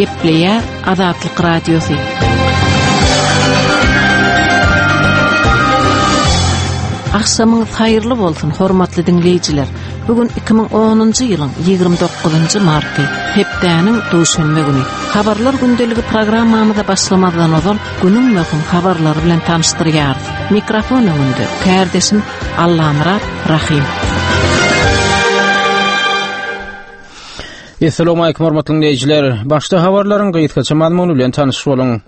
Gepleýär Azatlyk Radiosy. Agşamyňyz haýyrly bolsun, hormatly diňleýjiler. Bu gün 2010-njy ýylyň 29-njy marty, hepdäniň duşenbe güni. Habarlar gündeligi programmamyza başlamazdan ozal günüň möhüm habarlary bilen tanyşdyrýarys. Mikrofon öňünde kärdeşim Allamyrat Rahym. Essalamu hormatly dinleýjiler. Başda habarlaryň gysgaça mazmuny bilen tanyş boluň.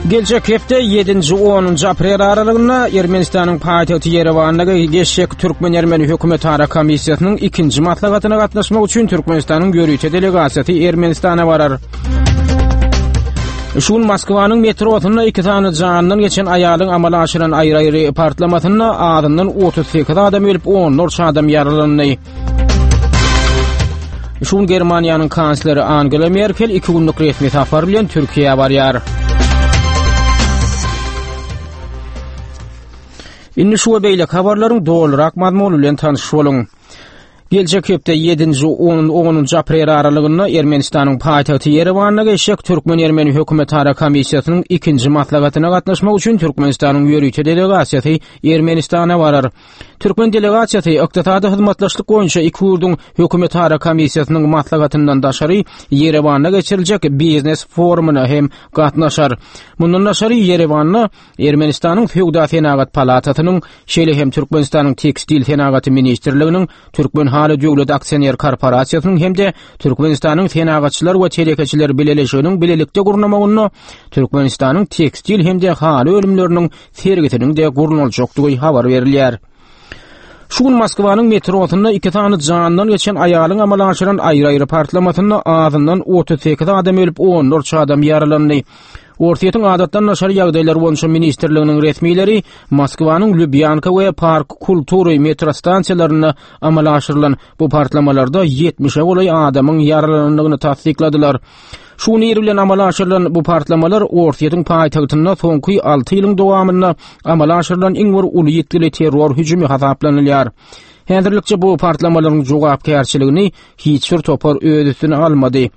Geljek hepde 7-nji 10-njy aprel aralygynda Ermenistanyň paýtagty Ýerewanda geçjek Türkmen-ermeni hökümetara komissiýasynyň ikinji maslahatyna gatnaşmak üçin Türkmenistanyň ýörite delegasiýasy Ermenistana barar. Şu gün Moskwanyň metrosynda iki sany janyndan geçen aýalyň amala aşyran aýry-aýry partlamasynda azyndan 38 adam ölüp, onlarça adam ýaralandy. Şu gün Germaniýanyň kansleri Angela Merkel iki günlük resmi sapar bilen Türkiýä barýar. Indi şu we beýleki habarlaryň dolurak mazmuny bilen tanyş boluň. Geljek hepde 7-nji 10-njy aprel aralygynda Ermenistanyň paýtagty Ýerewanda geçjek Türkmen-ermeni hökümetara komissiýasynyň ikinji maslahatyna gatnaşmak üçin Türkmenistanyň ýörite delegasiýasy Ermenistana barar. Türkmen delegasiýasy ykdysady hyzmatdaşlyk boýunça iki ýurduň hökümetara komissiýasynyň maslahatyndan daşary Ýerewanda geçiriljek biznes forumyna hem gatnaşar. Mundan daşary Ýerewanda Ermenistanyň Söwda-senagat palatasynyň, şeýle hem Türkmenistanyň Tekstil senagaty ministrliginiň, Türkmenhaly döwlet aksioner korporasiýasynyň hem-de Türkmenistanyň Senagatçylar we telekeçiler bileleşiginiň bilelikde gurnamagynda Türkmenistanyň tekstil hem-de haly önümleriniň sergisiniň-de gurnaljakdygy habar berilýär. Şu gün Moskwanyň metrosynda iki sany janyndan geçen aýalyň amala aşyran aýry-aýry partlamasynda azyndan 38 adam ölüp, onlarça adam ýaralandy. Orsýetiň Adatdan daşary ýagdaýlar boýunça ministrliginiň resmileri Moskwanyň Lubýanka we Park Kultury metrostansiýalarynda amala aşyrylan bu partlamalarda 70-e golaý adamyň ýaralanandygyny tassykladylar. Şu gün ir bilen amala aşyrylan bu partlamalar Orsýetiň paýtagtynda soňky 6 ýylyň dowamynda amala aşyrylan iň bir uly ýitgili terror hüjümi hasaplanylýar. Häzirlikçe bu partlamalaryň jogapkärçiligini hiç bir topar öz üstüne almady.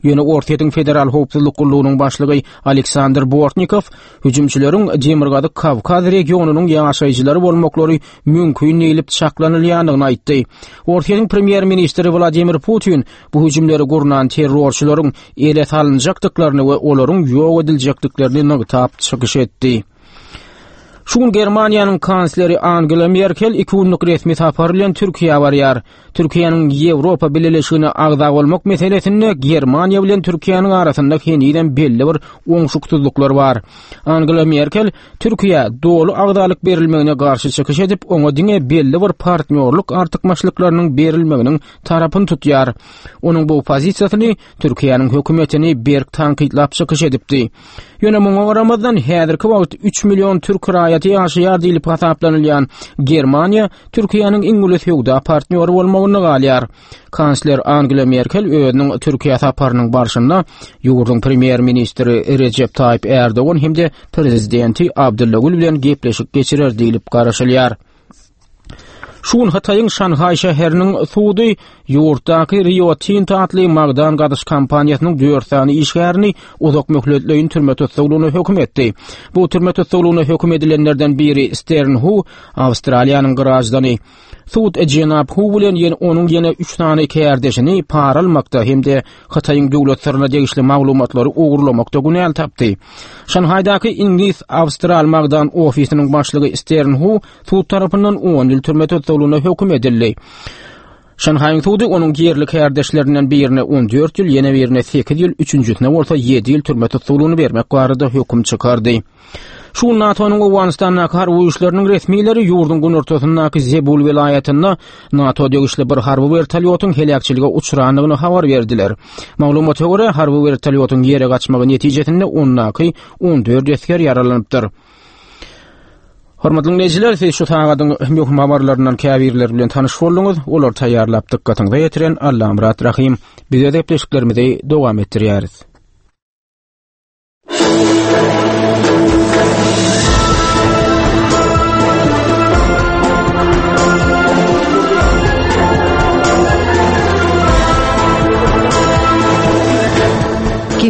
Ýöne Orsýetiň Federal howpsuzlyk gullugynyň başlygy Aleksandr Bortnikow hüjümçileriň Demirgazyk Kawkaz regionynyň ýaşaýjylary bolmaklary mümkin diýlip çaklanylýandygyny aýtdy. Orsýetiň premýer-ministri Wladimir Putin bu hüjümleri gurnan terrorçylaryň ele salynjakdyklaryny we olaryň ýok ediljekdiklerini nygtap çykyş etdi. Şu gün Germaniýanyň kansleri Angela Merkel iki günlük resmi sapar bilen Türkiýä barýar. Türkiýäniň Ýewropa Bileleşigine agza bolmak meselesinde Germaniýa bilen Türkiýäniň arasynda henizem belli bir oňşuksyzlyklar bar. Angela Merkel Türkiýä doly agzalyk berilmegine garşy çykyş edip, oňa diňe belli bir partnýorlyk artykmaçlyklarynyň berilmeginiň tarapyny tutýar. Onuň bu pozisiýasyny Türkiýäniň hökümetini berk tankytlap çykyş edipdi. Ýöne muňa garamazdan, häzirki wagt 3 million türk raýaty ýaşaýar diýlip hasaplanylýan Germaniýa Türkiýäniň iň uly söwda partnýory bolmagynda galýar. Kansler Angela Merkel özüniň Türkiýä saparynyň barşynda ýurduň premýer-ministri Rejep Taýyp Ärdogan hem-de prezidenti Abdylla Gül bilen gepleşik geçirer diýlip garaşylýar. Şu gün Hytaýyň Şanhaý şäheriniň sudy ýurtdaky Rio Tinto atly magdan gazyş kompaniýasynyň dört sany işgärini uzak möhletleýin türme tussaglygyna höküm etdi. Bu türme tussaglygyna höküm edilenlerden biri Stern Hu, Awstraliýanyň graždany. Sud jenap Hu bilen ýene onuň ýene üç sany kärdeşini para almakda hem-de Hytaýyň döwlet syryna degişli maglumatlary ogurlamakda günäli tapdy. Şanhaýdaky iňlis-awstral magdan ofisiniň başlygy Stern Hu sud tarapyndan 10 ýyl türme tussaglygyna höküm edildi. Şanhaýyň sudy onuň ýerli kärdeşlerinden birine 14 ýyl, ýene birine 8 ýyl, üçünjisine bolsa 7 ýyl türme tussaglygyny bermek barada höküm çykardy. Şu gün NATO-nyň Owganystandaky harby güýçleriniň resmileri ýurduň günortasyndaky Zebul welaýatynda NATO degişli bir harby wertolýotyň heläkçilige uçrandygyny habar berdiler. Maglumata görä, harby wertolýotyň ýere gaçmagy netijesinde ondaky 14 esger ýaralanypdyr. Hormatly diňleýjiler, siz şu sagadyň möhüm habarlaryndan käbirleri bilen tanyş bolduňyz. Olary taýýarlap dykgatyňyza ýetiren Allamyrat Rahym. Biz öz gepleşiklerimizi dowam etdirýäris.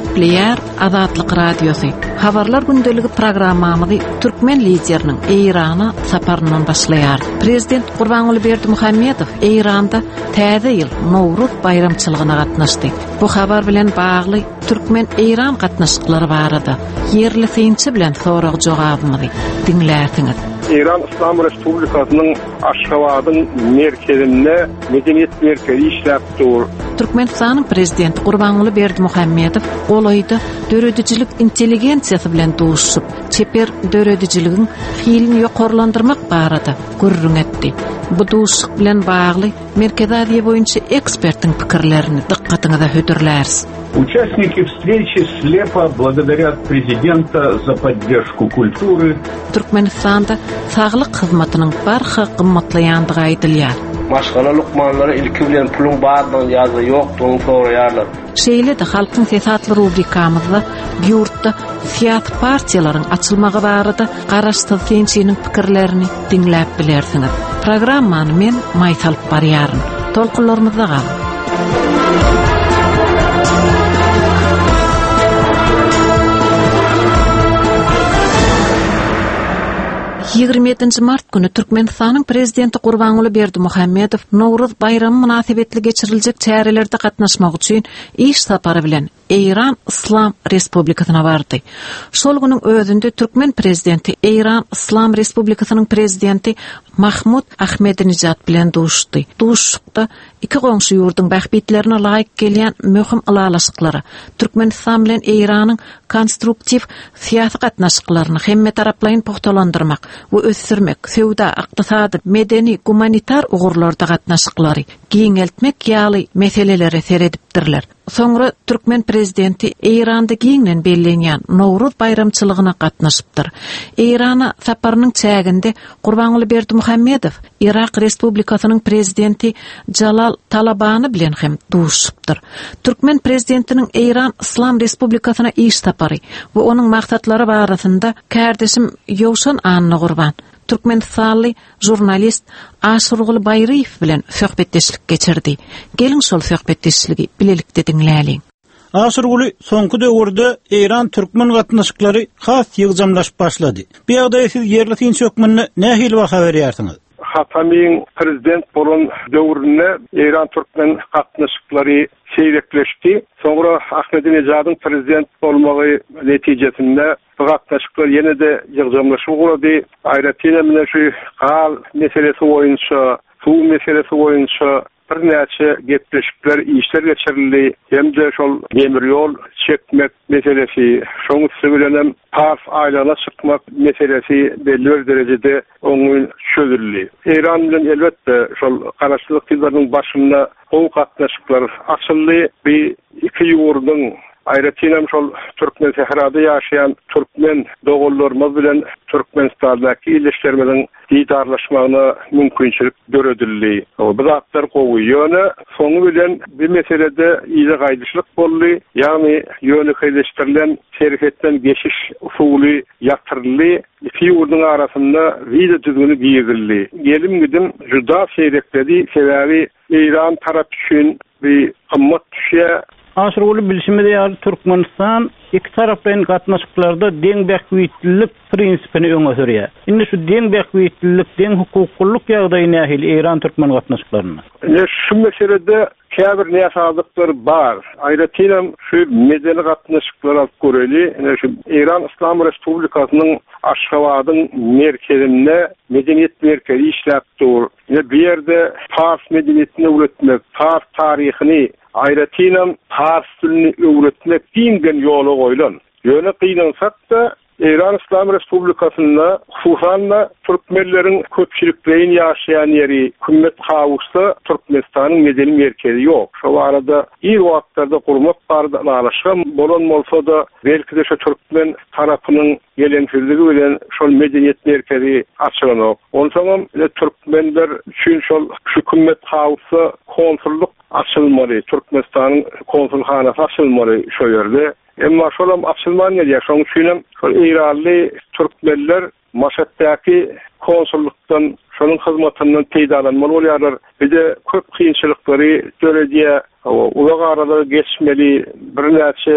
Gepleýär Azatlyk Radiosy. Habarlar gündeligi programmamyzy türkmen lideriniň Eýrana saparyndan başlaýarys. Prezident Gurbanguly Berdimuhamedow Eýranda Täze ýyl, Nowruz baýramçylygyna gatnaşdy. Bu habar bilen bagly türkmen-eýran gatnaşyklary barada ýerli synçy bilen sorag-jogabymyzy diňlärsiňiz. Eýran Yslam Respublikasynyň Aşgabadyň merkezinde Medeniýet merkezi işläp dur. Türkmenistanyň Prezidenti Gurbanguly Berdimuhamedow golaýda döredijilik intelligensiýasy bilen duşuşyp, çeper döredijiligiň hilini ýokarlandyrmak barada gürrüň etdi. Bu duşuşyk bilen bagly Merkezi Aziýa boýunça ekspertiň pikirlerini dykgatyňyza hödürläris. Участники встречи слепо благодарят prezidenta za podдержку kultury. Türkmenistanda saglyk hyzmatynyň barha gymmatlaýandygy aýdylýar. Maşgala lukmanlary ilki bilen puluň bardygyny ýa-da ýokdugyny soraýarlar. Şeýle-de Halkyň sesi atly rubrikamyzda ýurtda syýasy partiýalaryň açylmagy barada garaşsyz synçynyň pikirlerini diňläp bilersiňiz. Programmany men Maýsa alyp barýaryn. Tolkunlarymyzda galyň. 27 mart güni Türkmenistanyň Prezidenti Gurbanguly Berdimuhamedow Nowruz baýramy mynasybetli geçiriljek çärelerde gatnaşmak üçin iş sapary bilen Eýran Yslam Respublikasyna bardy. Şol günüň özünde türkmen prezidenti Eýran Yslam Respublikasynyň prezidenti Mahmud Ahmedinejad bilen duşuşdy. Duşuşykda iki goňşy ýurduň bähbitlerine laýyk gelýän möhüm ylalaşyklara, Türkmenistan bilen Eýranyň konstruktiw syýasy gatnaşyklaryny hemmetaraplaýyn pugtalandyrmak we ösdürmek, söwda, ykdysady, medeni, gumanitar ugurlarda gatnaşyklary giňeltmek ýaly meselelere seredipdirler. Soňra türkmen prezidenti Eýranda giňden bellenýän Nowruz baýramçylygyna gatnaşypdyr. Eýrana saparynyň çäginde Gurbanguly Berdimuhamedow Yrak Respublikasynyň prezidenti Jalal Talabany bilen hem duşuşypdyr. Türkmen prezidentiniň Eýran Yslam Respublikasyna iş sapary we onuň maksatlary barasynda kärdeşim Ýowşan Annagurban, türkmenistanly žurnalist Aşyrguly Baýryýew bilen söhbetdeşlik geçirdi. Geliň şol söhbetdeşligi bilelikde diňläliň. Aşyrguly, soňky döwürde eýran-türkmen gatnaşyklary has ýygjamlaşyp başlady. Bu ýagdaýa siz ýerli synçy hökmünde nähili baha berýärsiňiz? Hatamiň prezident bolan döwründe eýran-türkmen gatnaşyklary seýrekleşdi. Soňra Ahmedinejadyň prezident bolmagy netijesinde Bu gatnaşyklar ýene-de ýygjamlaşyp ugrady. Aýratynam ine şu gaz meselesi boýunça, suw meselesi boýunça birnäçe gepleşikler, işler geçirildi hem-de şol demir ýol çekmek meselesi, şoň üsti bilenem Pars aýlagyna çykmak meselesi belli bir derejede oňyn çözüldi. Eýran bilen elbetde şol garaşsyzlyk ýyllarynyň başynda gowy gatnaşyklar açyldy. Bu iki ýurduň, aýratynam şol Türkmensährada ýaşaýan türkmen doganlarymyz bilen Türkmenistandaky ildeşlerimiziň didarlaşmagyna mümkinçilik döredildi. Bu zatlar gowy. Ýöne soňy bilen bu meselede yza gaýdyşlyk boldy. Ýagny ýönekeýleşdirilen serhetden geçiş usuly ýatyryldy. Iki ýurduň arasynda wiza düzgüni girizildi. Gelim-gidim juda seýrekledi, sebäbi Eýran tarap üçin bi gymmat düşýär. Aşyrguly bilşimiz ýaly Türkmenistan ikitaraplaýyn gatnaşyklarda deň bähbitlilik prinsipini öňe sürýär. Indi şu deň bähbitlilik, deň hukuklylyk ýagdaýy nähili Eýran-türkmen gatnaşyklarynda? Ine şu meselede käbir näsazlyklar bar. Aýratynam şu medeni gatnaşyklary alyp göreli. Ine şu Eýran Yslam Respublikasynyň Aşgabadyň merkezinde Medeniýet merkezi işläp dur. Ine bu ýerde pars medeniýetini öwretmek, pars taryhyny, aýratynam pars dilini öwretmek giňden ýola goýlan. Ýöne gynansak-da, Eýran Yslam Respublikasynda, hususan-da, türkmenleriň köpçülikleýin ýaşaýan ýeri Kümmet Kawusda Türkmenistanyň medeni merkezi ýok. Şo barada ir wagtlarda gurmak barada ylalaşygam bolan bolsa-da, belki-de şo türkmen tarapynyň geleňsizligi bilen şol medeniýet merkezi açylanok. Onsoňam ine türkmenler üçin şol şu Kümmet Hausda konsullyk açylmaly, Türkmenistanyň konsulhanasy açylmaly şo ýerde. Emma şolam açylman gelýär. Şonuň üçinem şol eýranly türkmenler Maşatdaky konsullykdan. Şonuň hyzmatyndan peýdalanmaly bolýarlar. Bir-de köp kynçylyklary döredýär. Hawa, uzak aralygy geçmeli, birnäçe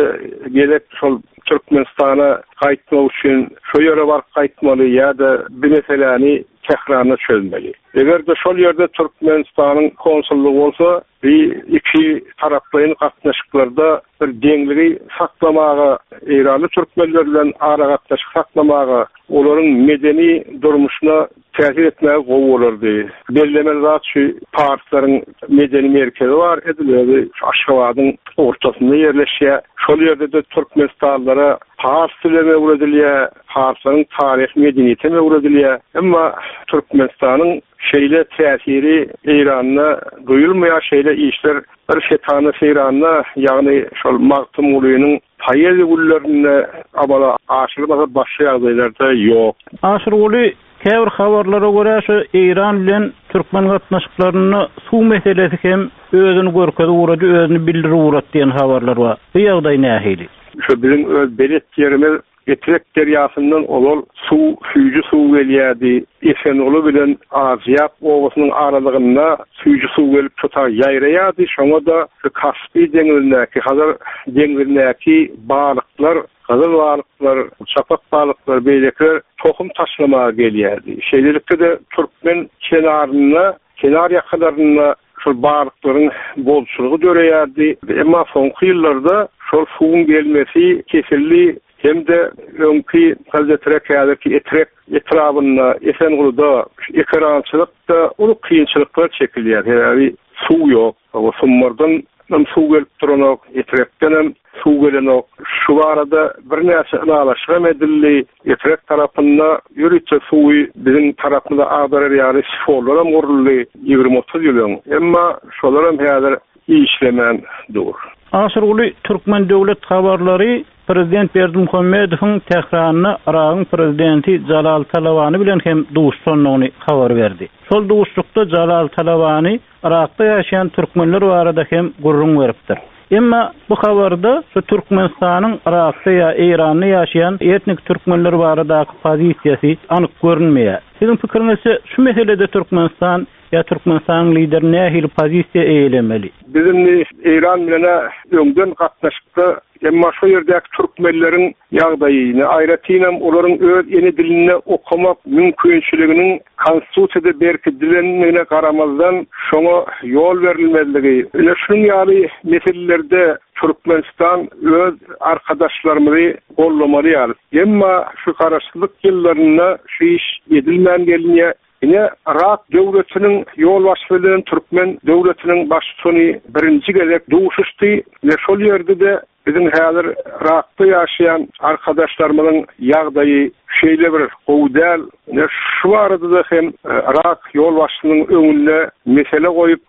gezek şol Türkmenistana gaýtmak üçin şo ýere baryp gaýtmaly ýa-da bir meseläni Tähranda çözmeli. Eger-de şol ýerde Türkmenistanyň konsullygy bolsa, bi ikitaraplaýyn gatnaşyklarda bir deňligi saklamaga, eýranly türkmenler bilen aragatnaşyk saklamaga, olaryň medeni durmuşyna täsir etmäge gowy bolardy. Bellemeli zat şu parslaryň medeni merkezi bar, edil özi şu Aşgabadyň ortasynda ýerleşýär. Şol ýerde-de türkmenistanlylara pars dilem öwredilýär, parslaryň taryhy medeniýetem öwredilýär. Emma Türkmenistanyň şeýle täsiri Eýranda duýulmaýar, şeýle işler bir setanda-seýranda, ýagny şol Magtymgulynyň Poeziýa günlerinde amala aşyrylmasa başga ýagdaýlarda ýok. Aşyrguly, käbir habarlara görä şu Eýran bilen türkmen gatnaşyklarynda suw meselesi hem özüni görkezip ugrady, özüni bildirip ugrady diýen habarlar bar. Bu ýagdaý nähili? Şu biziň öz belet ýerimiz Etrek derýasyndan ozal suw, süýji suw gelýärdi. Esenguly bilen Azyýap obasynyň aralygynda süýji suw gelip şo taý ýaýraýardy. Şoňa-da şu Kaspi deňzindäki, Hazar deňzindäki balyklar, gyzyl balyklar, çapak balyklar, beýlekiler tohum taşlamaga gelýärdi. Şeýlelikde-de türkmen kenarynda, kenar ýakalarynda şol balyklaryň bolçulygy döreýärdi. Emma soňky ýyllarda şol suwuň gelmesi kesildi hem-de öňki Gyzyletrek, häzirki Etrek etrabynda, Esenguluda ekerançylykda uly kynçylyklar çekilýär. Sebäbi suw ýok. Sumbardan hem suw gelip duranok, Etrekden hem suw gelenok. Şu barada birnäçe ylalaşyk hem edildi. Etrek tarapynda ýörite suwy biziň tarapymyza agdarar ýaly sifonlar hem guruldy 20-30 ýyl öň. Emma şolar hem häzir işlemän dur. Aşyrguly Türkmen döwlet habarlary Prezident Berdimuhamedowyň Tähranda Yragyň Prezidenti Jalal Talabani bilen hem duşuşandygyny habar berdi. Şol duşuşykda Jalal Talabani Yrakda ýaşaýan türkmenler barada hem gürrüň beripdir. Emma bu habarda şu Türkmenistanyň Yrakda ýa Eýranda ýaşaýan etnik türkmenler baradaky pozisiýasy anyk görünmeýär. Siziň pikiriňizçe şu meselede Türkmenistan ýa Türkmenistanyň lideri nähili pozisiýa eýelemeli? Biz indi Eýran bilen-ä öňden gatnaşykda, emma şo ýerdäki türkmenleriň ýagdaýyny, aýratynam olaryň öz ene dilinde okamak mümkinçiliginiň Konstitusiýada berkidilendigine garamazdan, şoňa ýol berilmezligi, ine şunuň ýaly meselelerde Türkmenistan öz arkadaşlarymyzy goldamaly ýaly. Emma şu garaşsyzlyk ýyllarynda şu iş edilmän gelinýär. Ine, Yrak döwletiniň ýolbaşçysy bilen türkmen döwletiniň baştutany birinji gezek duşuşdy we şol ýerde-de biziň häzir Yrakda ýaşaýan arkadaşlarymyzyň ýagdaýy şeýle bir gowy däl. Ine, şu barada-da hem Yrak ýolbaşçysynyň öňünde mesele goýup,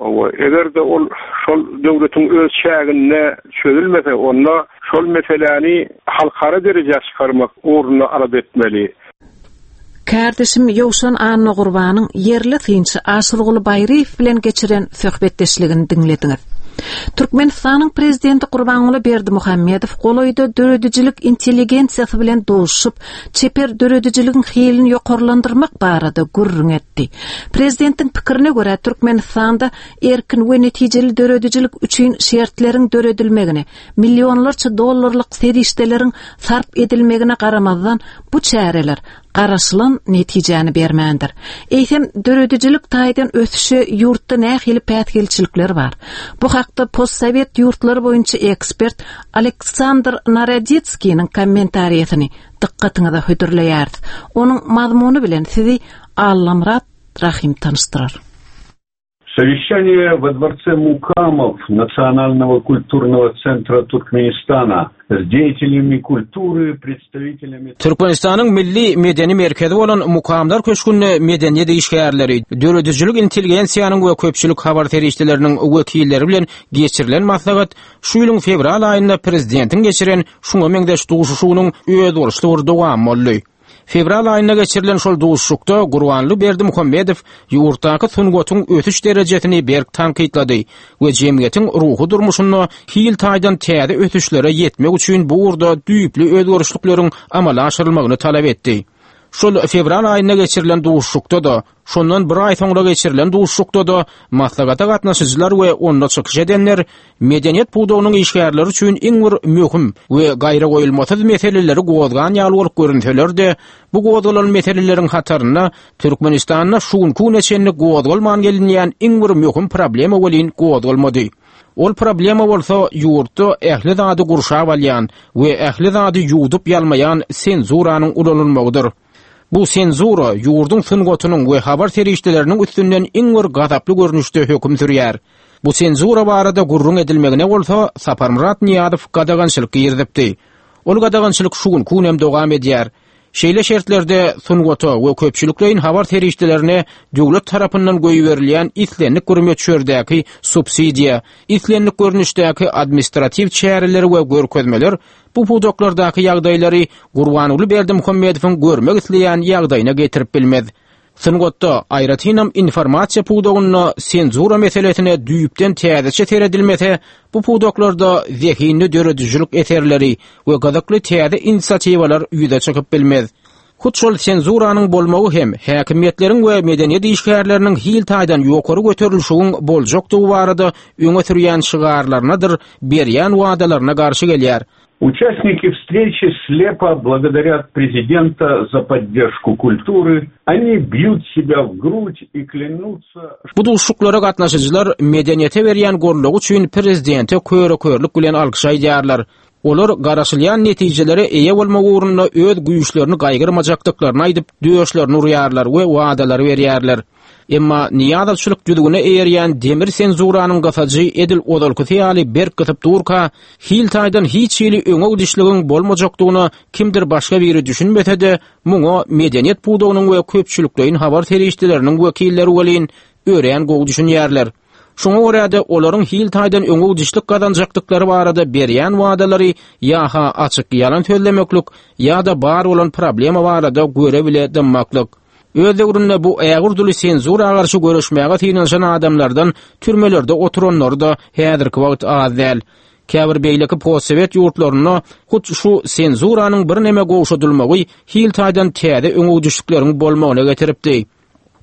eger-de ol şol döwletiň öz çäginde çözülmese, onda şol meseläni halkara derejä çykarmak ugrunda alada etmeli. Kärdeşim Ýowşan Annagurbanyň ýerli synçy Aşyrguly Baýryýew bilen geçiren söhbetdeşligini diňlediňiz. Türkmenistanyň Prezidenti Gurbanguly Berdimuhamedow golaýda döredijilik intelligensiýasy bilen duşuşyp, çeper döredijiligiň hilini ýokarlandyrmak barada gürrüň etdi. Prezidentiň pikirine görä, Türkmenistanda erkin we netijeli döredijilik üçin şertleriň döredilmegine, millionlarça dollarlyk serişdeleriň sarp edilmegine garamazdan, bu çäreler garaşylan netijäni bermändir. Eýsem, döredijilik taýdan ösüşe ýurtda nähili päsgelçilikler bar? Bu hakda postsowet ýurtlary boýunça ekspert Aleksandr Naroditskiniň kommentariýasyny dykgatyňyza hödürleýäris. Onuň mazmuny bilen sizi Allamyrat Rahym tanyşdyrar. Совещание во дворце Мукамов Национального культурного центра Туркменистана с деятелями культуры, представителями... Türkmenistanyň Milli medeni merkezi bolan Mukamlar köşgünde medeniýet işgärleri, döredijilik intelligensiýanyň we köpçülik habar serişdeleriniň wekilleri bilen geçirilen maslahat şu ýylyň fewral aýynda prezidentiň geçiren şuňa meňzeş duşuşygynyň özboluşly bir dowamy boldy. Fewral aýynda geçirilen şol duşuşykda Gurbanly Berdimuhamedow ýurtdaky sungatyň ösüş derejesini berk tankytlady we jemgyýetiň ruhy durmuşynda hil taýdan täze ösüşlere ýetmek üçin bu ugurda düýpli özgerişlikleriň amala aşyrylmagyny talap etdi. Şol fewral aýynda geçirilen duşuşykda-da, şondan bir aý soňra geçirilen duşuşykda-da maslahata gatnaşyjylar we onda çykyş edenler medeniýet pudagynyň işgärleri üçin iň bir möhüm we gaýragoýulmasyz meseleleri gozgan ýaly bolup görünseler-de, bu gozgalan meseleleriň hatarynda Türkmenistanda şu günki güne çenli gozgalman gelinýän iň bir möhüm problema welin gozgalmady. Ol problema bolsa ýurtda ähli zady gurşap alýan we ähli zady ýuwdup-ýalmaýan senzuranyň ulanylmagydyr. Bu senzura ýurduň sungatynyň we habar serişdeleriniň üstünden iň bir gazaply görnüşde höküm sürýär. Bu senzura barada gürrüň edilmegine bolsa Saparmyrat Nyýazow gadagançylyk girizipdi. Ol gadagançylyk şu günki günem dowam edýär. Şeýle şertlerde sungata we köpçülikleýin habar serişdelerine döwlet tarapyndan goýberilýän islendik bir möçberdäki subsidiýa, islendik görnüşdäki administratiw çäreler we görkezmeler bu pudaklardaky ýagdaýlary Gurbanguly Berdimuhamedowyň görmek isleýän ýagdaýyna getirip bilmez. Sungatda, aýratynam informasiýa pudagynda senzura meselesine düýpden täzeçe seredilmese, bu pudaklarda zehinli döredijilik eserleri we gyzykly täze inisiatiwalar ýüze çykyp bilmez. Hut şol senzuranyň bolmagy hem häkimiýetleriň we medeniýet işgärleriniň hil taýdan ýokary göterilişigiň boljakdygy barada öňe sürýän şygarlarynadyr berýän wadalaryna garşy gelýär. Участники встречи слепо благодарят президента за поддержку культуры, они бьют себя в грудь и клянутся... Bu duşuşyklara gatnaşyjylar medeniýete berýän goldawy üçin prezidente köre-körlük bilen alkyş aýdýarlar. Olar garaşylýan netijelere eýe bolmak ugrunda öz güýçlerini gaýgyrmajakdyklaryny aýdyp, döşlerini urýarlar we wadalar berýärler. Emma nyýazowçylyk düzgüne eýerýän demir senzuranyň gysajy edil ozalkysy ýaly berk gysyp durka, hil taýdan hiç hili öňe gidişligiň bolmajakdygyna kimdir başga biri düşünmese-de, muňa medeniýet pudagynyň we köpçülikleýin habar serişdeleriniň wekilleri welin örän gowy düşünýärler. Şoňa görä-de, olaryň hil taýdan öňe gidişlik gazanjakdyklary barada berýän wadalary ýa-ha açyk ýalan sözlemeklik, ýa-da bar bolan problema barada göre-bile dymmaklyk. Öz döwründe bu ägirt uly senzura garşy göreşmäge synanyşan adamlardan türmelerde oturanlary-da häzirki wagt az däl. Käbir beýleki postsowet ýurtlarynda hut şu senzuranyň birneme gowşadylmagy hil taýdan täze öňegidişlikleriň bolmagyna getiripdi.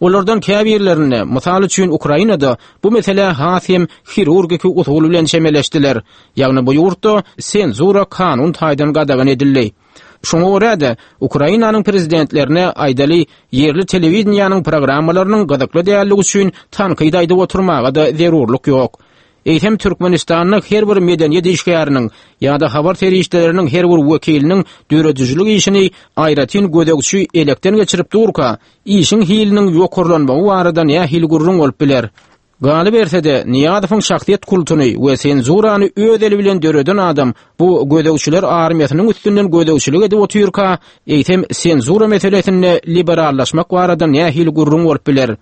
Olardan käbirlerinde, mysal üçin Ukrainada bu meselä has hem hirurgiki usul bilen çemeleşdiler. Ýagny bu ýurtda senzura kanun taýdan gadagan edildi. Şoňa görä-de, Ukrainanyň prezidentlerine, aýdaly, ýerli telewideniýäniň programmalarynyň gyzykly dälligi üçin tankyt aýdyp oturmaga-da zerurlyk ýok. Eýsem, Türkmenistanda her bir medeniýet işgäriniň ýa-da habar serişdeleriniň her bir wekiliniň döredijilik işini aýratyn gözegçi elekden geçirip durka, işiň hiliniň ýokarlanmagy barada nähili gürrüň bolup biler? Galyberse-de, Nyýazowyň şahsyýet kultuny we senzurany öz eli bilen döreden adam bu gözegçiler armiýasynyň üstünden gözegçilik edip otyrka, eýsem senzura meselesinde liberallaşmak barada nähili gürrüň bolup biler?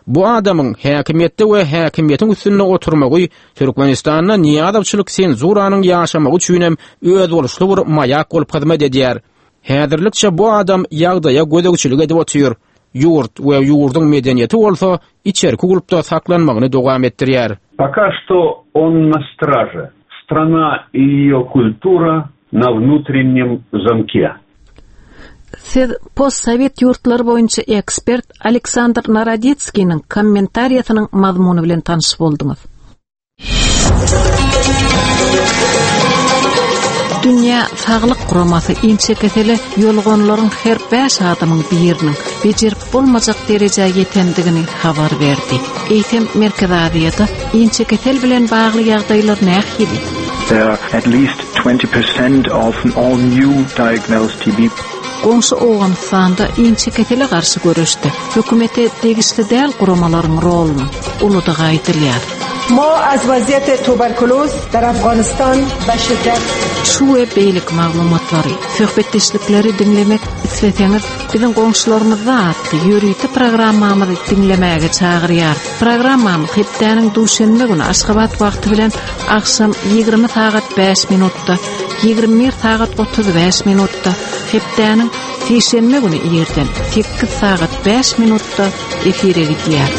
Bu adamyň häkimiýetde we häkimiýetiň üstünde oturmagy Türkmenistanda nyýazowçylyk senzuranyň ýaşamagy üçinem özboluşly bir maýak bolup hyzmat edýär. Häzirlikçe bu adam ýagdaýa gözegçilik edip otyr. Ýurt we ýurduň medeniýeti bolsa içerki gulpda saklanmagyny dowam etdirýär. Пока что он на страже. Страна и ее культура на внутреннем замке. Siz postsowet ýurtlary boýunça ekspert Aleksandr Naroditskiniň kommentariýasynyň mazmuny bilen tanyş bolduňyz. Dünýä Saglyk Guramasy inçekesele ýoluganlaryň her bäş adamyň biriniň bejerip bolmajak derejä ýetendigini habar berdi. Eýsem, Merkezi Aziýada inçekesel bilen bagly ýagdaýlar nähili? There are at least 20% of all new diagnosed TB. Goňşy Owganystanda inçekesele garşy göreşde hökümete degişli däl guramalaryň rolunyň uludygy aýdylýar. ما از وضعیت توبرکلوز در افغانستان به شدت Şu we beýleki maglumatlary, söhbetdeşlikleri diňlemek isleseňiz, biziň goňşularymyzda atly ýörite programmamyzy diňlemäge çagyrýarys. Programmamyz hepdäniň duşenbe güni Aşgabat wagty bilen agşam 20 sagat 5 minutda, 21 sagat 35 minutda, hepdäniň sişenbe güni irden 8 sagat 5 minutda efire gidýär.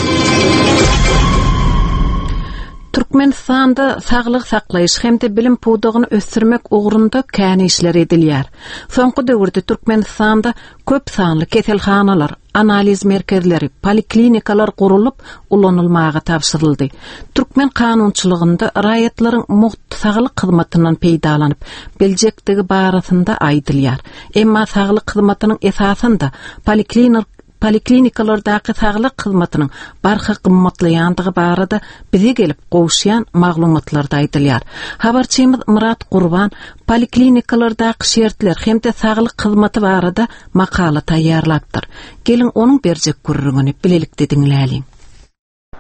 Türkmenistanda saglygy saklaýyş hem-de bilim pudagyny ösdürmek ugrunda kän işler edilýär. Soňky döwürde Türkmenistanda köp sanly keselhanalar, analiz merkezleri, poliklinikalar gurulyp, ulanylmaga tabşyryldy. Türkmen kanunçylygynda raýatlaryň mugt saglyk hyzmatyndan peýdalanyp biljekdigi barasynda aýdylýar. Emma saglyk hyzmatynyň esasynda poliklinikalardaky saglyk hyzmatynyň barha gymmatlaýandygy barada bize gelip gowuşýan maglumatlarda aýdylýar. Habarçymyz Myrat Gurban poliklinikalardaky şertler hem-de saglyk hyzmaty barada makala taýýarlapdyr. Geliň, onuň berjek gürrüňini bilelikde diňläliň.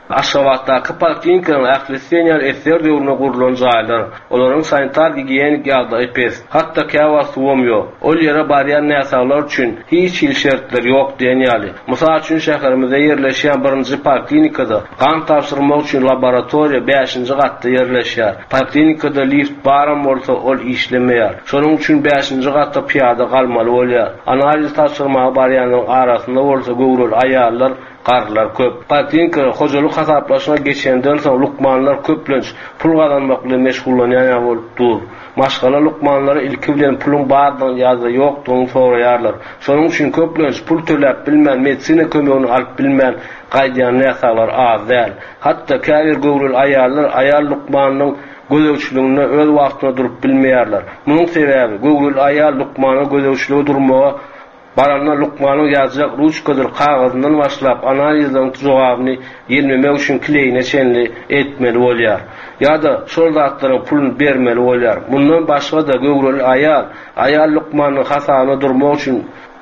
Aşgabatdaky poliklinikalaryň ählisi diýen ýaly SSR döwründe gurlan jaýlar. Olaryň sanitar-gigiýenik ýagdaýy pes. Hatda käwagt suwam ýok. Ol ýere barýan näsaglar üçin hiç hili şertler ýok diýen ýaly. Mysal üçin, şäherimizde ýerleşýän birinji poliklinikada gan tabşyrmak üçin laboratoriýa bäşinji gatda ýerleşýär. Poliklinikada lift baram bolsa, ol işlemeýär. Şonuň üçin bäşinji gata pyýada galmaly bolýar. Analiz tabşyrmaga barýanlaryň arasynda bolsa göwreli aýallar, garrylar köp. Poliklinikada hojalyk hasaplaşyga geçenden soň lukmanlar köplenç pul gazanmak bilen meşgullanýan ýaly bolup dur. Maşgala lukmanlary ilki bilen puluň bardygyny ýa-da ýokdugyny soraýarlar. Şonuň üçin köplenç pul töläp bilmän medisina kömegini alyp bilmän gaýdýan näsaglar az däl. Hatda käbir göwreli aýallar aýal lukmanynyň gözegçiliginde öz wagtynda durup bilmeýärler. Munuň sebäbi, göwreli aýal lukmana gözegçilige durmaga baranda lukmanyň ýazjak ruçkadyr kagyzyndan başlap analizleriň jogabyny ýelmemek üçin kleýine çenli eltmeli bolýar. Ýa-da şol zatlaryň puluny bermeli bolýar. Mundan başga-da göwreli aýal, aýal lukmanyň hasabyna durmak üçin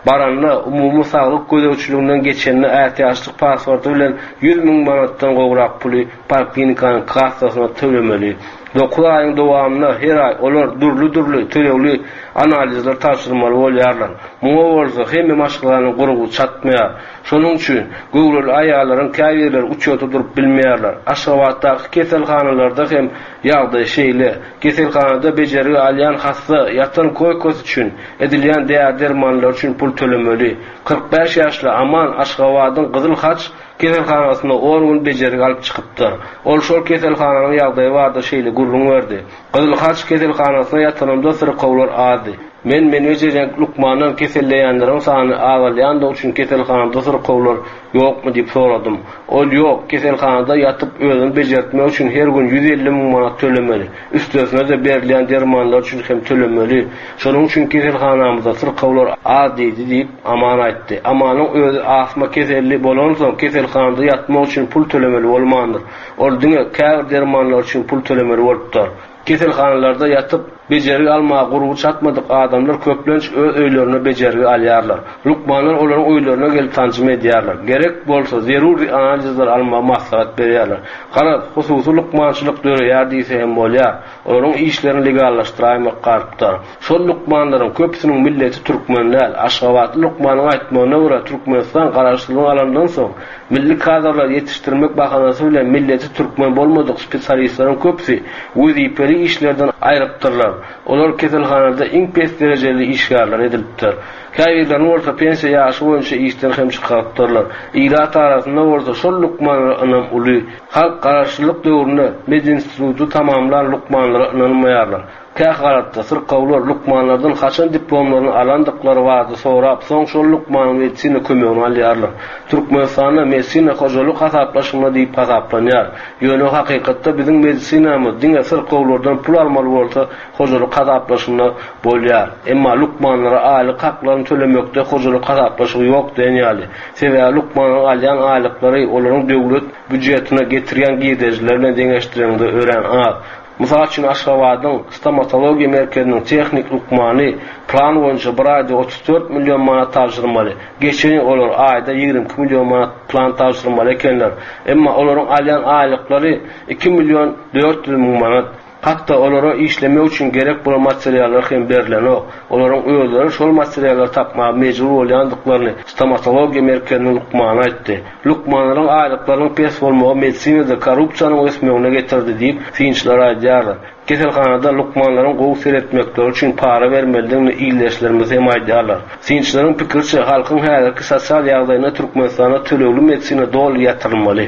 baranda umumy saglyk gözegçiliginden geçende ätiýaçlyk pasporty bilen 100 mün manatdan gowrak puly poliklinikanyň kassasyna tölemeli. Dokuz aýyň dowamynda her aý olar dürli-dürli tölegli analizler tabşyrmaly bolýarlar. Muňa bolsa hemme maşgalanyň gurby çatmaýar. Şonuň üçin göwreli aýallaryň käbirleri uçýota durup bilmeýärler. Aşgabatdaky keselhanalarda hem ýagdaý şeýle. Keselhanada bejergi alýan hassa ýatan koýkasy üçin, edilýän däri-dermanlar üçin pul tölemeli. 45 ýaşly Aman Aşgabadyň Gyzyl Haç keselhanasynda on gün bejergi alyp çykypdyr. Ol şol keselhananyň ýagdaýy barada şeýle gürrüň berdi, Gyzyl Haç keselhanasynda ýatanymda syrkawlar azdy. Men meni bejerýän lukmandan keselleýänleriň sany azalýandygy üçin keselhanada syrkawlar ýokmy diýip soradym. Ol ýok, keselhanada ýatyp özüňi bejertmek üçin her gün 150 müň manat tölemeli. Üstesine-de berilýän dermanlar üçin hem tölemeli. Şonuň üçin keselhanamyzda syrkawlar az diýdi diýip, Aman aýtdy. Amanyň özi astma keselli bolansoň keselhanada ýatmak üçin pul tölemeli bolmandyr. Ol diňe käbir dermanlar üçin pul tölemeli bolupdyr. Keselhanalarda ýatyp, bejergi almaga gurby çatmadyk adamlar köplenç öz öýlerinde bejergi alýarlar. Lukmanlar olaryň öýlerine gelip sanjym edýärler. Gerek bolsa, zerur analizler almagy maslahat berýärler. Garaz, hususy lukmançylyk döreýär diýse hem bolýar. Olaryň işlerini legallaşdyraýmak galypdyr. Şol lukmanlaryň köpüsiniň milleti türkmen däl. Aşgabatly lukmanyň aýtmagyna görä, Türkmenistan garaşsyzlygyny alandan soň, milli kadrlary ýetişdirmek bahanasy bilen milleti türkmen bolmadyk spesialistleriň köpüsi wezipeli işlerden aýrypdyrlar. Olar keselhanada iň pes derejeli işgärler edilipdir. Käbirlerini bolsa pensiýa ýaşy boýunça işden hem çykarypdyrlar. Ilat arasynda bolsa şol lukmanlara ynam uly. Halk garaşsyzlyk döwründe medinstituty tamamlan lukmanlara ynanmaýarlar. Kähalatda syrkawlar lukmanlardan haçan diplomlaryny alandyklary barada sorap, soň şol lukmanyň medisina kömegini alýarlar. Türkmenistanda medisina hojalyk hasaplaşygynda diýip hasaplanýar. Ýöne hakykatda biziň medisinamyz diňe syrkawlardan pul almaly bolsa hojalyk hasaplaşygynda bolýar. Emma lukmanlara aýlyk haklaryny tölemekde hojalyk hasaplaşygy ýok diýen ýaly. Sebäbi lukmanlaryň alýan aýlyklary olaryň döwlet býujetine getirýän girdejileri bilen deňeşdireňde örän az. Mysal üçin, Aşgabadyň stomatologiýa merkeziniň tehnik lukmany plan boýunça bir aýda 34 million manat tabşyrmaly. Geçen ýyl olar aýda 22 million manat plan tabşyrmaly ekenler. Emma olaryň alýan aýlyklary 2 million 400 müň manat. Hatda olara işlemek üçin gerek bolan materiallar hem berlenok. Olaryň özleri şol materiallary tapmaga mejbur bolýandyklaryny stomatologiýa merkeziniň lukmany aýtdy. Lukmanlaryň aýlyklarynyň pes bolmagy medisinada korrupsiýanyň ösmegine getirdi diýip, synçylar aýdýarlar. Keselhanada lukmanlaryň gowy seretmekleri üçin para bermelidigini ildeşlerimiz hem aýdýarlar. Synçylaryň pikiriçe, halkyň häzirki sosial ýagdaýynda Türkmenistanda tölegli medisina doly ýatyrylmaly.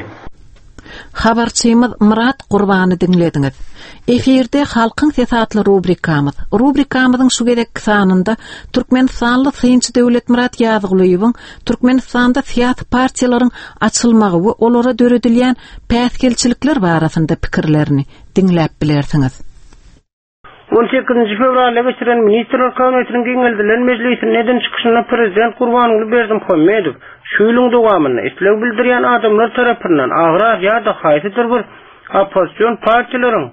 Habarçymyz Myrat Gurbany diňlediňiz. Efirde Halkyň sesi atly rubrikamyz. Rubrikamyzyň şu gezekki sanynda türkmenistanly synçy Döwletmyrat Ýazgulyýewiň Türkmenistanda syýasy partiýalaryň açylmagy we olara döredilýän päsgelçilikler barasynda pikirlerini diňläp bilersiňiz. On sekizinji fewralda geçiren Ministrler Kabinetiniň giňeldilen mejlisinde eden çykyşynda prezident Gurbanguly Berdimuhamedow şu ýylyň dowamynda isleg bildirýän adamlar tarapyndan agrar ýa-da haýsydyr bir oppozision partiýalaryň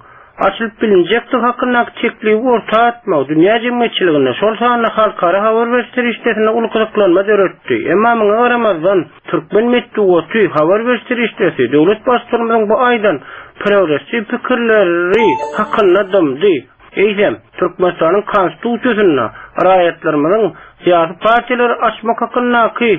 açylyp bilinjekdigi hakyndaky teklibi orta atmagy dünýä jemgyýetçiliginde, şol sanda halkara habar beriş serişdesinde uly gyzyklanma döretdi. Emma muňa garamazdan, türkmen metbugaty, habar beriş serişdesi döwlet Baştutanymyzyň bu aýdan progressiw pikirleri hakynda dymdy. Eýsem, Türkmenistanyň Konstitusiýasynda raýatlarymyzyň syýasy partiýalary açmak hakyndaky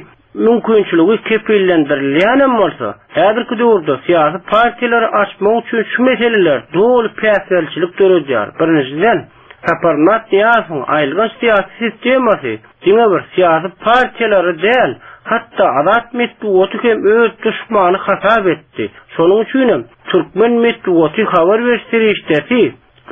mümkinçiligi kepillendirilýänem bolsa, häzirki döwürde syýasy partiýalary açmak üçin şu meseleler doly päsgelçilik döredýär. Birinjiden, Saparmyrat Nyýazowyň aýylganç syýasy sistemasy diňe bir syýasy partiýalary däl, hatda azat metbugaty hem öz duşmany hasap etdi. Şonuň üçinem türkmen metbugaty habar beriş serişdesi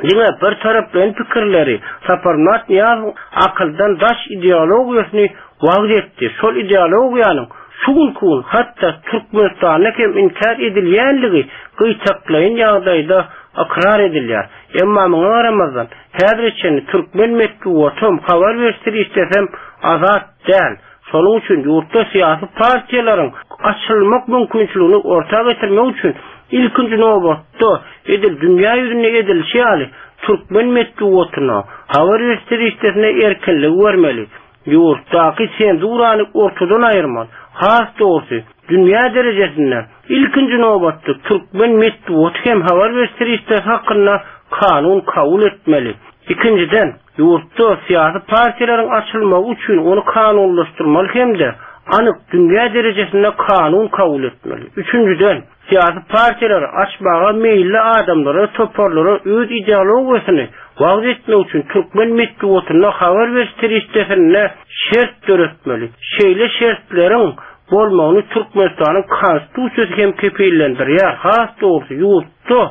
diňe bir taraplaýyn pikirleri, Saparmyrat Nyýazowyň akyldan daş ideologiýasyny wagyz etdi. Şol ideologiýanyň şu günki gün hatda Türkmenistanda hem inkär edilýänligi gytaklaýyn ýagdaýda ykrar edilýär. Emma muňa garamazdan, häzire çenli türkmen metbugatam, habar beriş serişdesem azat däl. Şonuň üçin ýurtda syýasy partiýalaryň açylmak mümkinçiligini orta getirmek üçin ilkinji nobatda edil dünýä ýüzünde edilişi ýaly türkmen metbugatyna, habar beriş serişdesine erkinligi bermeli. Ýurtdaky senzurany ortadan aýyrmaly. Has dogrusy, dünýä derejesinde ilkinji nobatda türkmen metbugaty hem habar beriş serişdesi hakynda kanun kabul etmeli. Ikinjiden, ýurtda syýasy partiýalaryň açylmagy üçin ony kanunlaşdyrmaly hem-de anyk dünýä derejesinde kanun kabul etmeli. Üçünjiden, syýasy partiýalary açmaga meýilli adamlara, toparlara öz ideologiýasyny wagyz etmek üçin türkmen metbugatynda, habar beriş serişdesinde şert döretmeli. Şeýle şertleriň bolmagyny Türkmenistanyň Konstitusiýasy hem kepillendirýär. Has dogrusy, ýurtda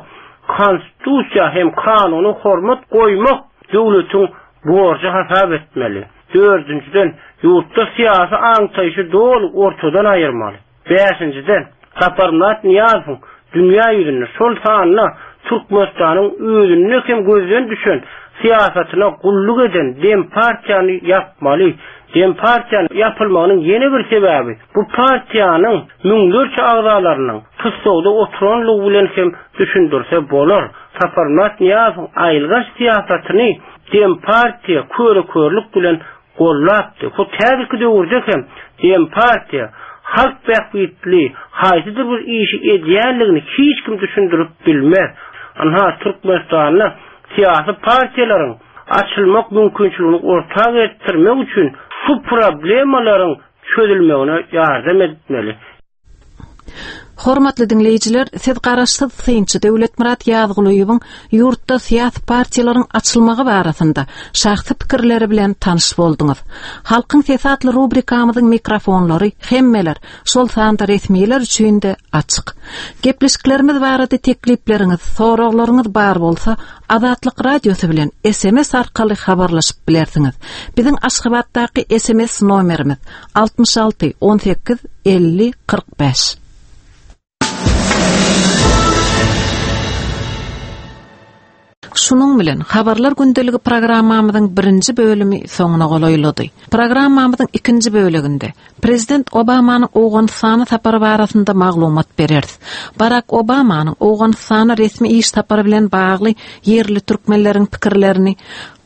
Konstitusiýa hem kanuna hormat goýmak döwletiň borjy hasap etmeli. Dördünjiden, ýurtda syýasy aňtaýşy doly ortadan aýyrmaly. Bäşinjiden, Saparmyrat Nyýazowyň dünýä ýüzünde, şol sanda Türkmenistanyň özünde hem gözden düşen syýasatyna gulluk eden Dempartiýany ýapmaly. Dempartiýanyň ýapylmagynyň ýene bir sebäbi, bu partiýanyň müňlerçe agzalarynyň tussagda oturanlygy bilen hem düşündirse bolar. Saparmyrat Nyýazowyň aýylganç syýasatyny Dempartiýa köre-körlük bilen gollapdy. Hut häzirki döwürde hem Dempartiýa halk bähbitli haýsydyr bir işi edýänligini hiç kim düşündirip bilmez. Ynha, Türkmenistanda syýasy partiýalaryň açylmak mümkinçiligini orta getirmek üçin şu problemalaryň çözülmegine ýardam etmeli. Hormatly diňleýjiler, siz garaşsyz synçy Döwletmyrat Ýazgulyýewiň ýurtda syýasy partiýalaryň açylmagy barasynda şahsy pikirleri bilen tanyş bolduňyz. Halkyň sesi atly rubrikamyzyň mikrofonlary hemmeler, şol sanda resmiler üçin-de açyk. Gepleşiklerimiz barada teklipleriňiz, soraglaryňyz bar bolsa, Azatlyk Radiosy bilen sms arkaly habarlaşyp bilersiňiz. Biziň Aşgabatdaky sms nomerimiz 66 18 50 45. Şunuň bilen Habarlar gündeligi programmamyzyň birinji bölümi soňuna golaýlady. Programmamyzyň ikinji böleginde Prezident Obamanyň Owganystana sapary barasynda maglumat bereris. Barak Obamanyň Owganystana resmi iş sapary bilen bagly ýerli türkmenleriň pikirlerini,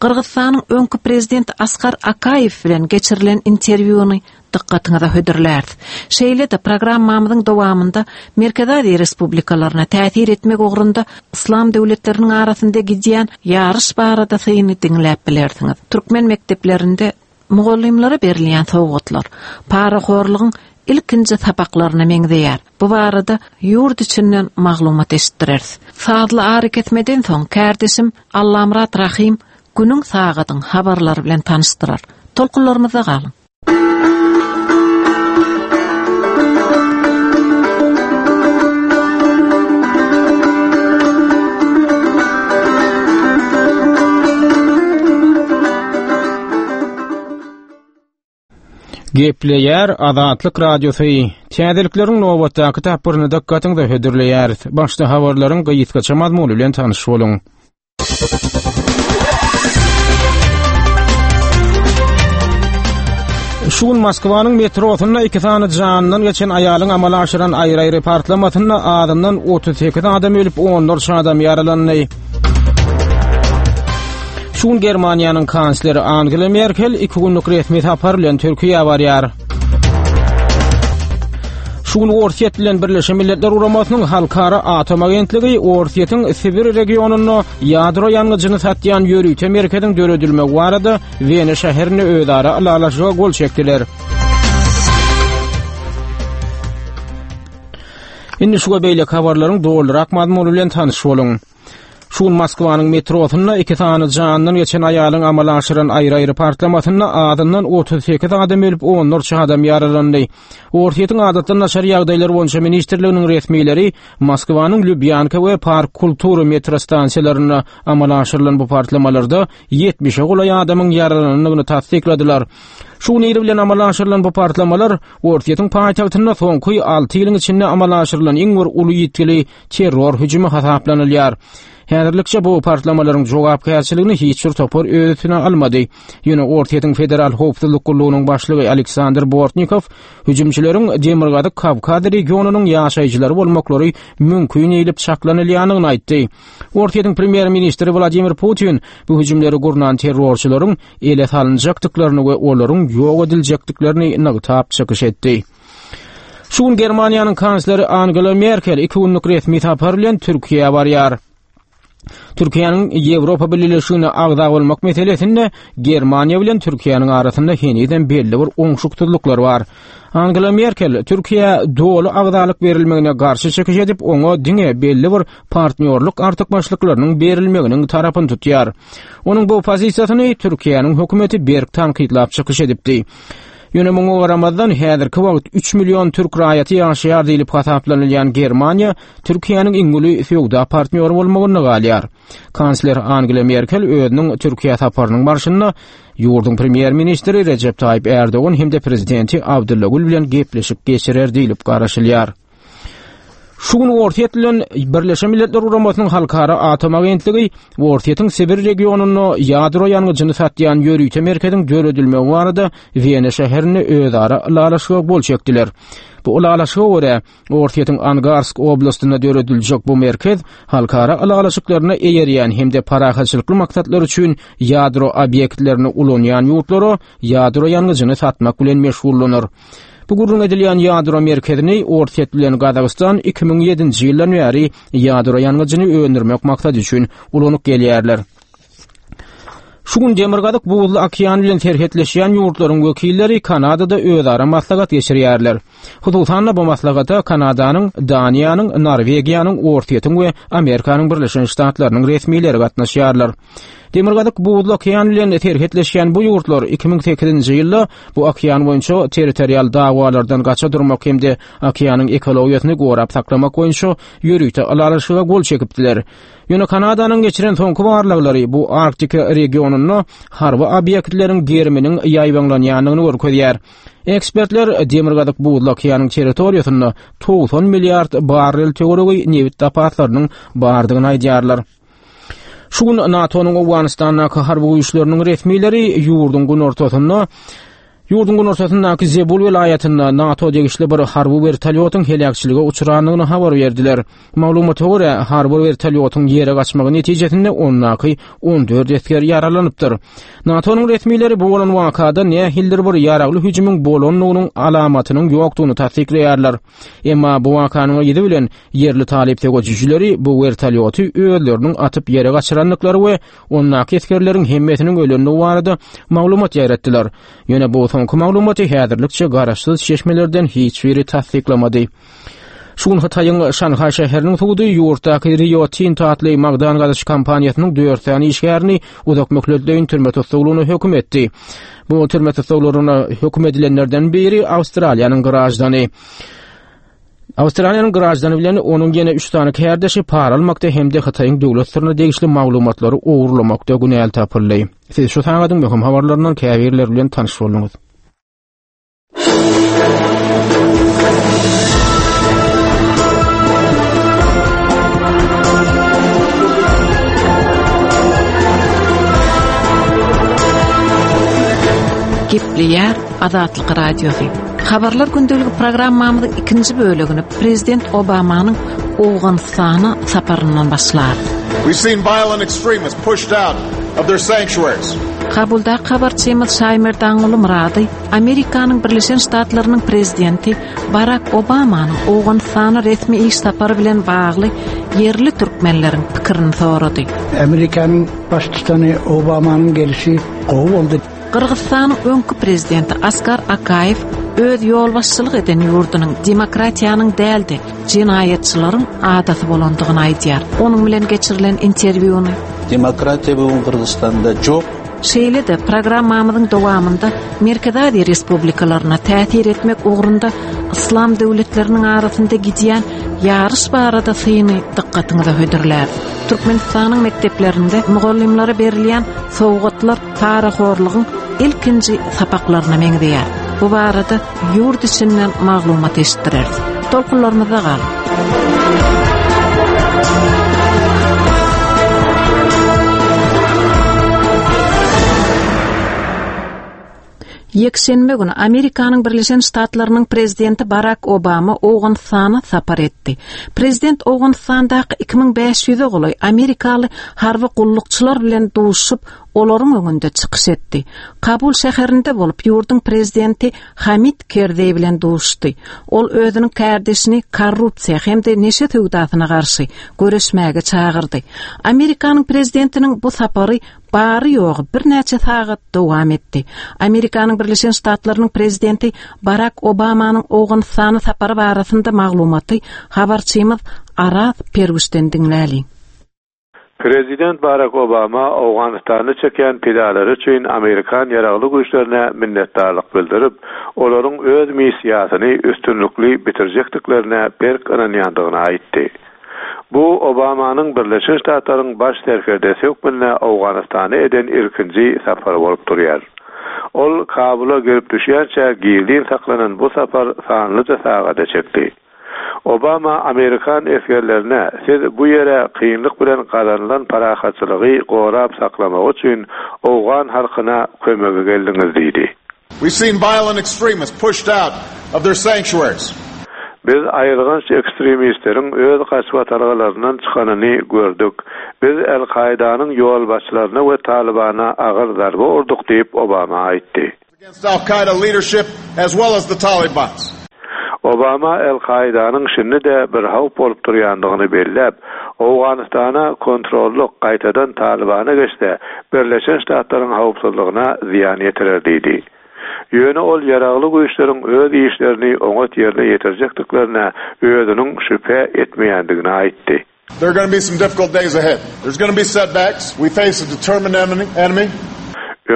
Gyrgyzystanyň öňki prezidenti Askar Akaýew bilen geçirilen interwýuny dykgatyňyza hödürläris. Şeýle-de programmamyzyň dowamynda Merkezi Aziýa respublikalaryna täsir etmek ugrunda yslam döwletleriniň arasynda gidýän ýaryş barada syny diňläp bilersiňiz. Türkmen mekdeplerinde Mugallymlara berilýän sowgatlar parahorlugyň ilkinji sapaklaryna meňzeýär. Bu barada ýurt içinden maglumat eşitdireris. Sazly arakesmeden soň kärdeşim Allamyrat Rahym günüň sagadyň habarlary bilen tanyşdyrar. Tolkunlarymyzda galyň! Gepleýär Azatlyk Radiosy. Täzelikleriň nobatdaky tapgyryny dykgatyňyza hödürleýäris. Başda habarlaryň gysgaça mazmuny bilen tanyş boluň. Şu gün Moskwanyň metrosynda iki sany janyndan geçen aýalyň amala aşyran aýry-aýry partlamasynda azyndan 38 adam ölüp, onlarça adam ýaralandy. Şu gün Germaniýanyň kansleri Angela Merkel iki günlük resmi sapar bilen Türkiýä barýar. Şu gün Orsýet bilen Birleşen Milletler Guramasynyň Halkara Atom Agentligi Orsýetiň Sibir regionynda ýadro ýangyjyny satýan ýörite merkeziň döredilmegi barada Wena şäherinde özara ylalaşyga gol çekdiler. Indi şu we beýleki habarlaryň dolurak mazmuny bilen tanyş boluň. Şu gün Moskwanyň metrosynda iki sany janyndan geçen aýalyň amala aşyran aýry-aýry partlamasynda azyndan 38 adam ölüp, onlarça adam ýaralandy. Orsýetiň Adatdan daşary ýagdaýlar boýunça ministrliginiň resmileri Moskwanyň Lubýanka we Park Kultury metro stansiýalarynda amala aşyrylan bu partlamalarda 70-e golaý adamyň ýaralanandygyny tassykladylar. Şu gün ir bilen amala aşyrylan bu partlamalar Orsýetiň paýtagtynda soňky alty ýylyň içinde amala aşyrylan iň bir uly ýitgili terror hüjümi hasaplanylýar. Häzirlikçe bu partlamalaryň jogapkärçiligini hiç bir topar öz üstüne almady. Ýöne Orsýetiň Federal howpsuzlyk gullugynyň başlygy Aleksandr Bortnikow hüjümçileriň Demirgazyk Kawkaz regionynyň ýaşaýjylary bolmaklary mümkin diýlip çaklanylýandygyny aýtdy. Orsýetiň premýer-ministri Wladimir Putin bu hüjümleri gurnan terrorçylaryň ele salynjakdyklaryny we olaryň ýok ediljekdiklerini nygtap çykyş etdi. Şu gün Germaniýanyň kansleri Angela Merkel iki günlük resmi sapar bilen Türkiýä barýar. Türkiýäniň Ýewropa Bileleşigine agza bolmak meselesinde Germaniýa bilen Türkiýäniň arasynda henizem belli bir oňşuksyzlyklar bar. Angela Merkel Türkiýä doly agzalyk berilmegine garşy çykyş edip, oňa diňe belli bir partnýorlyk artykmaçlyklarynyň berilmeginiň tarapyny tutýar. Onuň bu pozisiýasyny Türkiýäniň hökümeti berk tankytlap çykyş edipdi. Ýöne muňa garamazdan, häzirki wagt üç million türk raýaty ýaşaýar diýlip hasaplanylýan Germaniýa Türkiýäniň iň uly söwda partnýory bolmagynda galýar. Kansler Angela Merkel özüniň Türkiýä saparynyň barşynda ýurduň premýer-ministri Rejep Taýyp Ärdogan hem-de prezidenti Abdylla Gül bilen gepleşik geçirer diýlip garaşylýar. Şu gün Orsýet bilen Birleşen Milletler Guramasynyň Halkara Atom Agentligi Orsýetiň Sibir regionynda ýadro ýangyjyny satýan ýörite merkeziň döredilmegi barada Wena şäherinde özara ylalaşyga gol çekdiler. Bu ylalaşyga görä, Orsýetiň Angarsk oblastynda dörediljek bu merkez halkara ylalaşyklaryna eýerýän hem-de parahatçylykly maksatlar üçin ýadro obýektlerini ulanýan ýurtlara ýadro ýangyjyny satmak bilen meşgullanar. Bu gürrüň edilýän ýadro merkezini Orsýet bilen Gazagystan 2007-nji ýyldan bäri ýadro ýangyjyny öndürmek maksady üçin ulanyp gelýärler. Şu gün Demirgazyk Buzly okean bilen serhetleşýän ýurtlaryň wekilleri Kanadada özara maslahat geçirýärler. Hususan-da, bu maslahata Kanadanyň, Daniýanyň, Norwegiýanyň, Orsýetiň we Amerikanyň Birleşen Ştatlarynyň resmileri gatnaşýarlar. Demirgazyk Buzly okean bilen serhetleşýän bu ýurtlar 2008-nji ýylda bu okean boýunça territorial dawalardan gaça durmak hem-de okeanyň ekologiýasyny gorap saklamak boýunça ýörite ylalaşyga gol çekipdiler. Ýöne Kanadanyň geçiren soňky barlaglary bu Arktika regionynda harby obýektleriň geriminiň ýaýbaňlanýandygyny görkezýär. Ekspertler Demirgazyk Buzly okeanyň territoriýasynda 90 milliard barrel töweregi nebit zapaslarynyň bardygyny aýdýarlar. Şu gün NATO-nyň Owganystandaky harby güýçleriniň resmileri ýurduň günortasynda Ýurduň günortasyndaky Zebul welaýatynda NATO degişli bir harby wertolýotyň heläkçilige uçrandygyny habar berdiler. Maglumata görä, harby wertolýotyň ýere gaçmagy netijesinde ondaky 14 esger ýaralanypdyr. NATO-nyň resmileri bu bolan wakada nähilidir bir ýaragly hüjümiň bolandygynyň alamatynyň ýokdugyny tassyklaýarlar. Emma bu wakanyň yzy bilen ýerli talyp söweşijileri bu wertolýoty özleriniň atyp ýere gaçyrandyklary we ondaky esgerleriň hemmesiniň ölendigi barada maglumat ýaýratdylar. Ýöne bu soňky maglumaty häzirlikçe garaşsyz çeşmelerden hiç biri tassyklamady. Şu gün Hytaýyň Şanhaý şäheriniň sudy ýurtdaky Rio Tinto atly magdan gazyş kompaniýasynyň dört sany işgärini uzak möhletleýin türme tussaglygyna höküm etdi. Bu türme tussaglygyna höküm edilenlerden biri Awstraliýanyň graždany. Awstraliýanyň graždany bilen onuň ýene üç sany kärdeşi para almakda hem-de Hytaýyň döwlet syryna degişli maglumatlary ogurlamakda günäli tapyldy. Siz şu sagadyň möhüm habarlaryndan käbirleri bilen tanyş bolduňyz. Gepleýär Azatlyk Radiosy. Habarlar gündeligi programmamyzyň ikinji bölegini Prezident Obamanyň Owganystana saparyndan başlarys. We've seen violent extremists pushed out of their sanctuaries. Kabuldaky habarçymyz Şaýmerdanguly Myrady Amerikanyň Birleşen Ştatlarynyň Prezidenti Barak Obamanyň Owganystana resmi iş sapary bilen bagly ýerli türkmenleriň pikirini sorady. Amerikanyň Baştutany Obamanyň gelişi gowy boldy. Gyrgyzystanyň öňki prezidenti Askar Akaýew öz ýolbaşçylyk eden ýurdunyň demokratiýanyň däl-de, jenaýatçylaryň adasy bolandygyny aýdýar. Onuň bilen geçirilen interwýuny. Demokratiýa bu gün Gyrgyzystanda jok. Şeýle-de, programmamyzyň dowamynda Merkezi Aziýa respublikalaryna täsir etmek ugrunda yslam döwletleriniň arasynda gidýän ýaryş barada syny dykgatyňyza hödürläris. Türkmenistanyň mekdeplerinde mugallymlara berilýän sowgatlar parahorlugyň ilkinji sapaklaryna meňzeýär. Bu barada ýurt içinden maglumat eşitdireris. Tolkunlarymyzda galyň. Ýekşenbe güni Amerikanyň Birleşen Ştatlarynyň prezidenti Barak Obama Owganystana sapar etdi. Prezident Owganystandaky 2500-e golaý amerikaly harby gullukçylar bilen duşup, olaryň öňünde çykyş etdi. Kabul şäherinde bolup, ýurduň prezidenti Hamid Kerzeý bilen duşuşdy. Ol özüniň kärdeşini korrupsiýa hem-de neşe söwdasyna garşy göreşmäge çagyrdy. Amerikanyň prezidentiniň bu sapary bary-ýogy birnäçe sagat dowam etdi. Amerikanyň Birleşen Ştatlarynyň prezidenti Barak Obamanyň Owganystana sapary barasynda maglumaty habarçymyz Araz Perwişden diňläliň. Prezident Barak Obama Owganystanda çekýän pidalary üçin amerikan ýaragly güýçlerine minnetdarlyk bildirip, olaryň öz missiýasyny üstünlikli bitirjekdiklerine berk ynanýandygyny aýtdy. Bu Obamanyň Birleşen Ştatlaryň baş serkerdesi hökmünde Owganystana eden ilkinji sapary bolup durýar. Ol Kabula gelip düşýänçä gizlin saklanan bu sapar sanlyja sagada çekdi. Obama amerikan esgerlerine siz bu ýere kynlyk bilen gazanylan parahatçylygy gorap saklamak üçin owgan halkyna kömege geldiňiz diýdi. We've seen violent extremists pushed out of their sanctuaries. Biz aýylganç ekstremistleriň öz gaçybatalgalaryndan çykanyny gördük. Biz Al-Kaýdanyň ýolbaşçylaryna we Talybana agyr zarba urduk diýip, Obama aýtdy. Against Al Qaeda leadership as well as the Talibans. Obama Al Kaidanyň şindi-de bir howp bolup durýandygyny belläp, Owganystana kontrollyk gaýtadan Talybana geçse, Birleşen Ştatlaryň howpsuzlygyna zyýan ýetirer diýdi. Ýöne ol ýaragly güýçleriň öz işlerini oňat ýerine ýetirjekdiklerine özüniň şübhe etmeýändigini aýtdy. There are gonna be some difficult days ahead. There's gonna be setbacks. We face a determined enemy.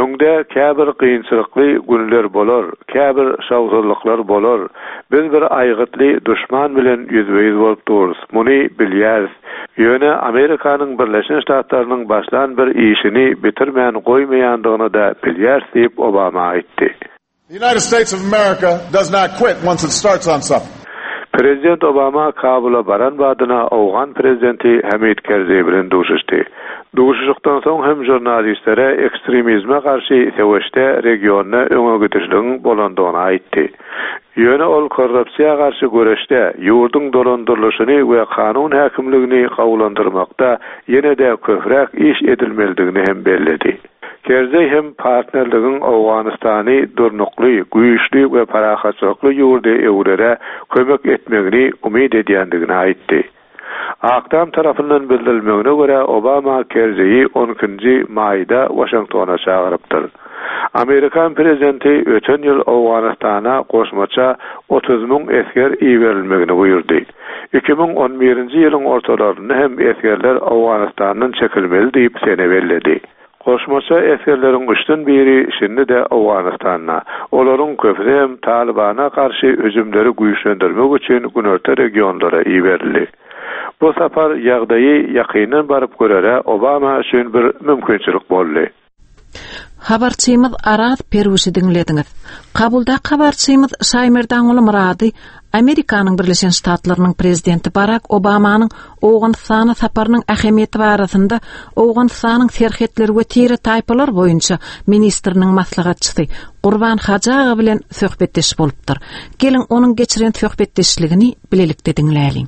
Öňde käbir kynçylykly günler bolar, käbir şowsuzlyklar bolar. Biz bir aýgytly duşman bilen ýüzbe-ýüz bolup durus, muny bilýäris. Ýöne Amerikanyň Birleşen Ştatlarynyň başlan bir işini bitirmän goýmaýandygyny-da bilýäris diýip, Obama aýtdy. The United States of America does not quit once it starts on something. Prezident Obama Kabula baran badyna owgan prezidenti Hamid Kerzeý bilen duşuşdy. Duşuşykdan soň hem žurnalistlere ekstremizme garşy söweşde regionda öňe gidişligiň bolandygyny aýtdy. Ýöne ol korrupsiýa garşy göreşde, ýurduň dolandyrylyşyny we kanun häkimligini gowulandyrmakda ýene-de köpräk iş edilmelidigini hem belledi. Kerzeý hem partnerligiň Owganystany durnukly, güýçli we parahatçylykly ýurda öwrere kömek etmegini umyt edýändigini aýtdy. Ak Tam tarapyndan bildirilmegine görä, Obama Kerzeýi on ikinji maýda Waşingtona çagyrypdyr. Amerikan prezidenti öten ýyl Owganystana goşmaça 30 esger iberilmegini buýurdy. 2011-nji ýylyň ortalarynda hem esgerler Owganystandan çekilmeli diýip sene belledi. Goşmaça esgerleriň üçden biri şindi-de Owganystanda. Olaryň köpüsi hem Talybana garşy hüjümleri güýçlendirmek üçin günorta regionlara iberildi. Bu sapar ýagdaýy ýakyndan baryp görere Obama üçin bir mümkinçilik boldy. Habarçymyz Araz Perwişi diňlediňiz. Kabuldaky habarçymyz Şaýmerdanguly Myrady Amerikanyň Birleşen Ştatlarynyň Prezidenti Barak Obamanyň Owganystana saparynyň ähemiýeti barasynda Owganystanyň serhetler we tire-taýpalar boýunça ministriniň maslahatçysy Gurban Hajy aga bilen söhbetdeş bolupdyr. Geliň, onuň geçiren söhbetdeşligini bilelikde diňläliň.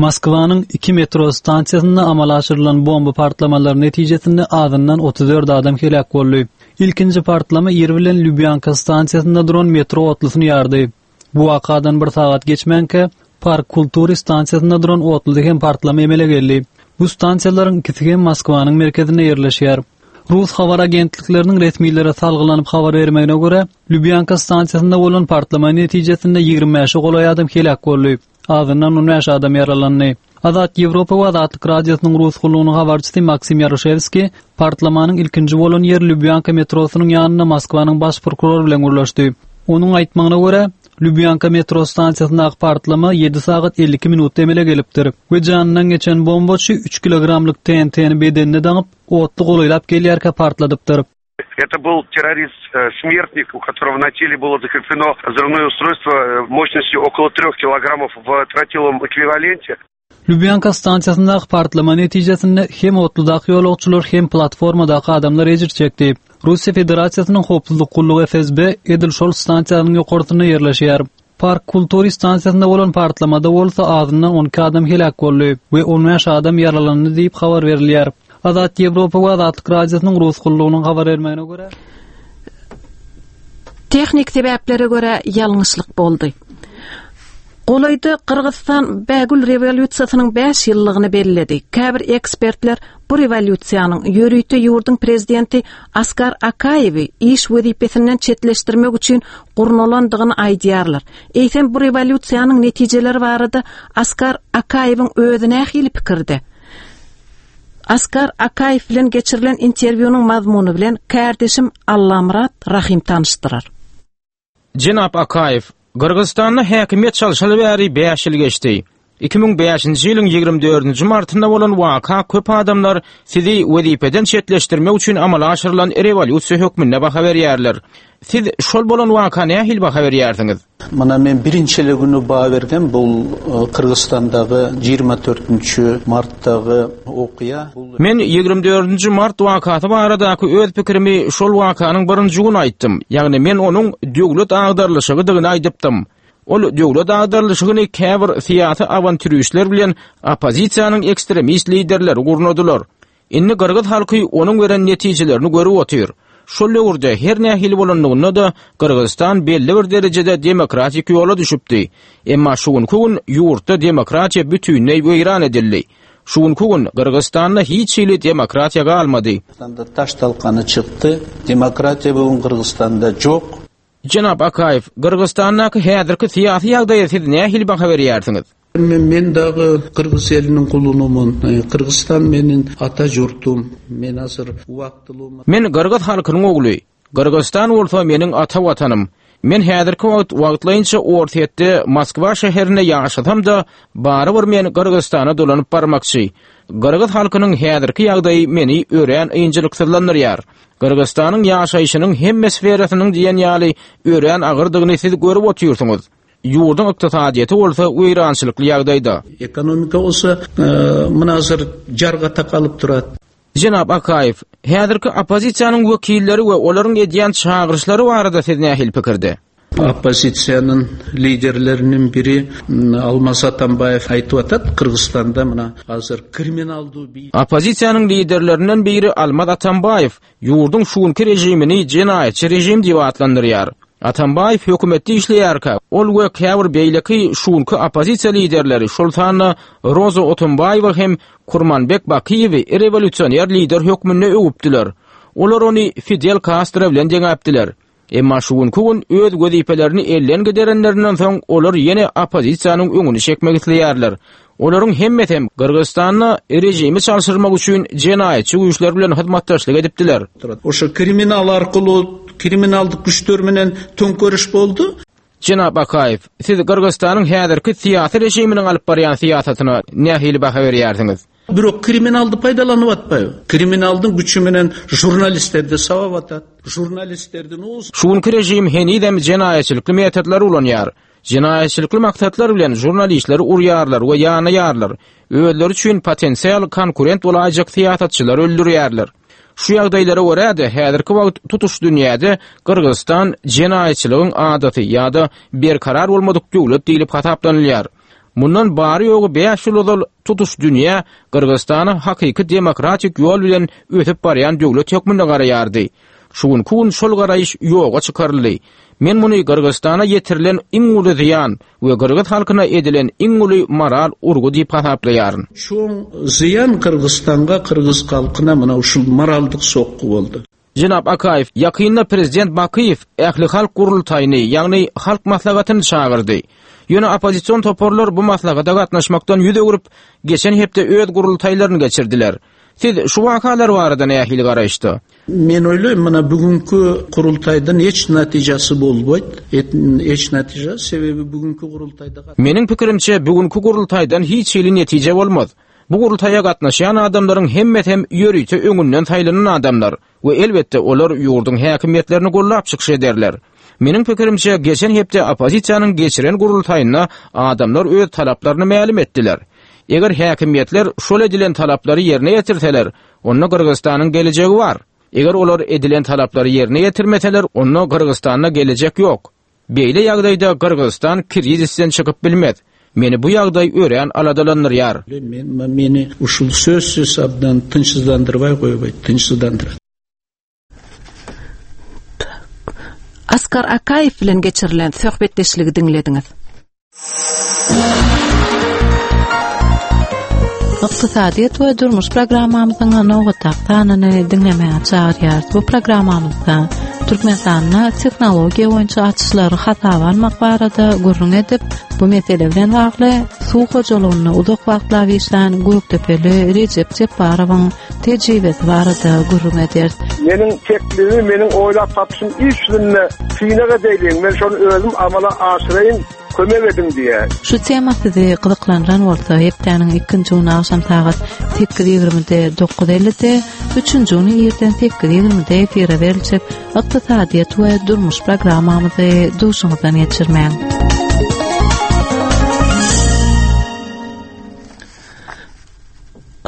Moskwanyň iki metro stansiýasynda amala aşyrylan bomba partlamalary netijesinde azyndan 34 adam heläk boldy. Ilkinji partlama ir bilen Lýubýanka stansiýasynda duran metro otlusyny ýardy. Bu wakadan bir sagat geçmänkä, Park Kultury stansiýasynda duran otluda hem partlama emele geldi. Bu stansiýalaryň ikisi hem Moskwanyň merkezinde ýerleşýär. Rus habar agentlikleriniň resmilere salgylanyp habar bermegine görä, Lýubýanka stansiýasynda bolan partlama netijesinde 25-e golaý adam heläk boldy. Azyndan 15 adam ýaralandy. Azat Ýewropa we Azatlyk Radiosynyň rus gullugynyň habarçysy Maksim Ýaroşewskiý partlamanyň ilkinji bolan ýeri Lýubýanka metrosynyň ýanynda Moskwanyň baş prokurory bilen gürleşdi. Onuň aýtmagyna görä, Lýubýanka metro stansiýasyndaky partlama 7 sagat 52 minutda emele gelipdir we janyndan geçen bombaçy 3 kilogramlyk TNT-ni bedenine daňyp, otly golaýlap gelýärkä partladypdyr. Это был террорист-смертник, у которого на теле было закреплено взрывное устройство э, мощностью около трех килограммов в тротиловом эквиваленте. Lubýanka stansiýasyndaky partlama netijesinde hem otludaky ýolagçylar, hem platformadaky adamlar ejir çekdi. Russiýa Federasiýasynyň Howpsuzlyk gullugy FSB edil şol stansiýanyň ýokarsynda ýerleşýär. Park Kultury stansiýasynda bolan partlamada bolsa azyndan 12 adam heläk boldy we 15 adam ýaralandy diýip habar berilýär. Azat Ýewropa we Azatlyk Radiosynyň rus gullugynyň habar bermegine görä, Tehnik sebäplere görä ýalňyşlyk boldy. Golaýda Gyrgyzystan Bägül rewolýusiýasynyň 5 ýyllygyny belledi. Käbir ekspertler bu rewolýusiýanyň ýörite ýurduň prezidenti Askar Akaýewi iş wezipesinden çetleşdirmek üçin gurnalandygyny aýdýarlar. Eýsem bu rewolýusiýanyň netijeleri barada Askar Akaýewiň özi nähili pikirde? Askar Akaýew bilen geçirilen interwýunyň mazmuny bilen kärdeşim Allamyrat Rahym tanyşdyrar. Jenap Akaýew, Gyrgyzystanda häkimiýet çalşaly bäri bäş ýyl geçdi. 2005-nji ýylyň 24-nji martynda bolan waka köp adamlar sizi wezipeden çetleşdirmek üçin amala aşyrylan rewolýusiýa hökmünde baha berýärler. Siz şol bolan waka nähili baha berýärsiňiz? Mına men birinji эле күнү баа бергем бул э, Кыргызстандагы 24 марттагы окуя. Men 24 mart wakasy baradaky öz pikirimi şol wakanyň birinji güni aýtdym. Ýagny men onuň döwlet agdarylyşygydygyny aýdypdym. Ol döwlet agdarylyşygyny käbir syýasy awantýuristler bilen oppozisiýanyň ekstremist liderleri gurnadylar. Indi gyrgyz halky onuň beren netijelerini görüp otyr. Şol döwürde her nähili bolanlygynda-da Gyrgyzystan belli bir derejede demokratik ýola düşüpdi. Emma şu günki gün ýurtda demokratiýa bütinleý weýran edildi. Şu günki gün Gyrgyzystanda hiç hili demokratiýa galmady. Taş-talkany çykdy. Demokratiýa bu gün Gyrgyzystanda jok. Jenap Akaýew, Gyrgyzystandaky häzirki syýasy ýagdaýa siz nähili baha berýärsiňiz? Men dagy gyrgyz eliniň gulunymyn. Gyrgyzystan meniň ata ýurtum. Men azyr wagtlymy. Men gyrgyz halkynyň ogly. Gyrgyzystan bolsa meniň ata watanym. Men häzirki wagt wagtlaýynça Orsýetde, Moskwa şäherinde ýaşasam-da, barybir men Gyrgyzystana dolanyp barmakçy. Gyrgyz halkynyň häzirki ýagdaýy meni örän ynjalyksyzlandyrýar. Gyrgyzystanyň ýaşaýşynyň hemme sferasynyň diýen ýaly örän agyrdygyny siz görüp otyrsyňyz. Ýurduň ykdysadyýeti bolsa weýrançylykly ýagdaýda. Ekonomika bolsa mynasyr jarga takalyp durat. Jenap Akaýew, häzirki oppozisiýanyň wekilleri we olaryň edýän çagyryşlary barada siz nähili pikirde? Oppozisiýanyň liderleriniň biri Almaz Atambaýew aýtyp atat, Gyrgyzystanda muna hazir kriminaldyw bi. Oppozisiýanyň liderlerinden biri Almaz Atambaýew ýurduň şu günki režimini jenaýatçy režim diýip atlandyrýar. Atambaýew hökümetde işleýärkä, ol we käbir beýleki şu günki oppozisiýa liderleri, şol sanda Roza Otunbaýewa hem Kurmanbek Bakyýewi rewolýusioner lider hökmünde öwüpdiler. Olar ony Fidel Kastro bilen deňäpdiler. Emma şu günki gün öz wezipelerini elden giderenlerinden soň olar ýene oppozisiýanyň öňüni çekmek isleýärler. Olaryň hemmesem Gyrgyzystanda režimi çalşyrmak üçin jenaýatçy güýçler bilen hyzmatdaşlyk edipdiler. Oşo kriminal arkaly kriminaldyk güçler menen töňkeriş boldy. Jenap Akaýew, siz Gyrgyzystanyň häzirki syýasy režiminiň alyp barýan syýasatyna nähili baha berýärsiňiz? Бирок криминалды пайдаланып атпайбы. Криминалдын күчү менен журналисттерди сабап атат. Журналисттердин оозун. Şu günki režim henizem jenaýatçylykly metodlary ulanýar. Jenaýatçylykly maksatlar bilen žurnalistleri urýarlar we ýanaýarlar. Özleri üçin potensial konkurent bolaýjak syýasatçylary öldürýärler. Şu ýagdaýlara görä-de, häzirki wagt tutuş dünýäde Gyrgyzystan jenaýatçylygyň adasy ýa-da berkarar bolmadyk döwlet diýlip hasaplanylýar. Mundan bary-ýogy bäş ýyl ozal tutuş dünýä Gyrgyzystana hakyky demokratik ýol bilen ösüp barýan döwlet hökmünde garaýardy. Şu günki gün şol garaýyş ýoga çykaryldy. Men muny Gyrgyzystana ýetirilen iň uly zyýan we gyrgyz halkyna edilen iň uly moral urgy diýip hasaplaýaryn. Çoň zyýan Gyrgyzystanga, gyrgyz halkyna muna uşul moraldyk sokgy boldy. Jenap Akaýew, ýakynda prezident Bakyýew ählihalk gurultaýyny, ýagny Halk Maslahatyny çagyrdy. Ýöne oppozision toparlar bu maslahata gatnaşmakdan ýüz öwrüp, geçen hepde öz gurultaýlaryny geçirdiler. Siz şu wakalar barada nähili garaýyşda? Men oýlaýyn, muna bugünki gurultaýdan hiç netijesi bolbaýt, hiç netije, sebebi bugünki gurultaýda. Meniň pikirimçe, bugünki gurultaýdan hiç hili netije bolmaz. Bu gurultaýa gatnaşýan adamlaryň hemmesem ýörite öňünden saýlanan adamlar we elbetde olar ýurduň häkimiýetlerini gollap çykyş ederler. Meniň pikirimçe, geçen hepde oppozisiýanyň geçiren gurultaýynda adamlar öz talaplaryny mälim etdiler. Eger häkimiýetler şol edilen talaplary ýerine ýetirseler, onda Gyrgyzystanyň gelejegi bar. Eger olar edilen talaplary ýerine ýetirmeseler, onda Gyrgyzystanda gelejek ýok. Beýle ýagdaýda Gyrgyzystan krizisden çykyp bilmez. Meni bu ýagdaý örän aladalandyrýar. Meni uşul sözsüz abdan tynçsyzlandyrbaý goýbaýt, tynçsyzlandyrat. Askar Akaýew bilen geçirilen söhbetdeşligi diňlediňiz. Ykdysadyýet we durmuş programmamyzyň nobatdaky sanyny diňlemäge çagyrýarys. Bu programmamyzda Türkmenistanda tehnologiýa boýunça açyşlary hasaba almak barada gürrüň edip, bu mesele bilen bagly suw hojalygynda uzak wagtlap işlän Gökdepeli Rejep Jepbarowyň tejribesi barada gürrüň ederis. Meniň teklibimi, meniň oýlap tapyşym iş ýüzünde synag edeýliň, men şony özüm amala aşyraýyn, kömek ediň diýýär. Şu tema sizi gyzyklandyran bolsa, hepdäniň ikinji güni agşam sagat sekiz ýigrimide, dokuz ellide, üçünji güni irden sekiz ýigrimide efire beriljek Ykdysadyýet we durmuş programmamyzy duşuňyzdan geçirmäň.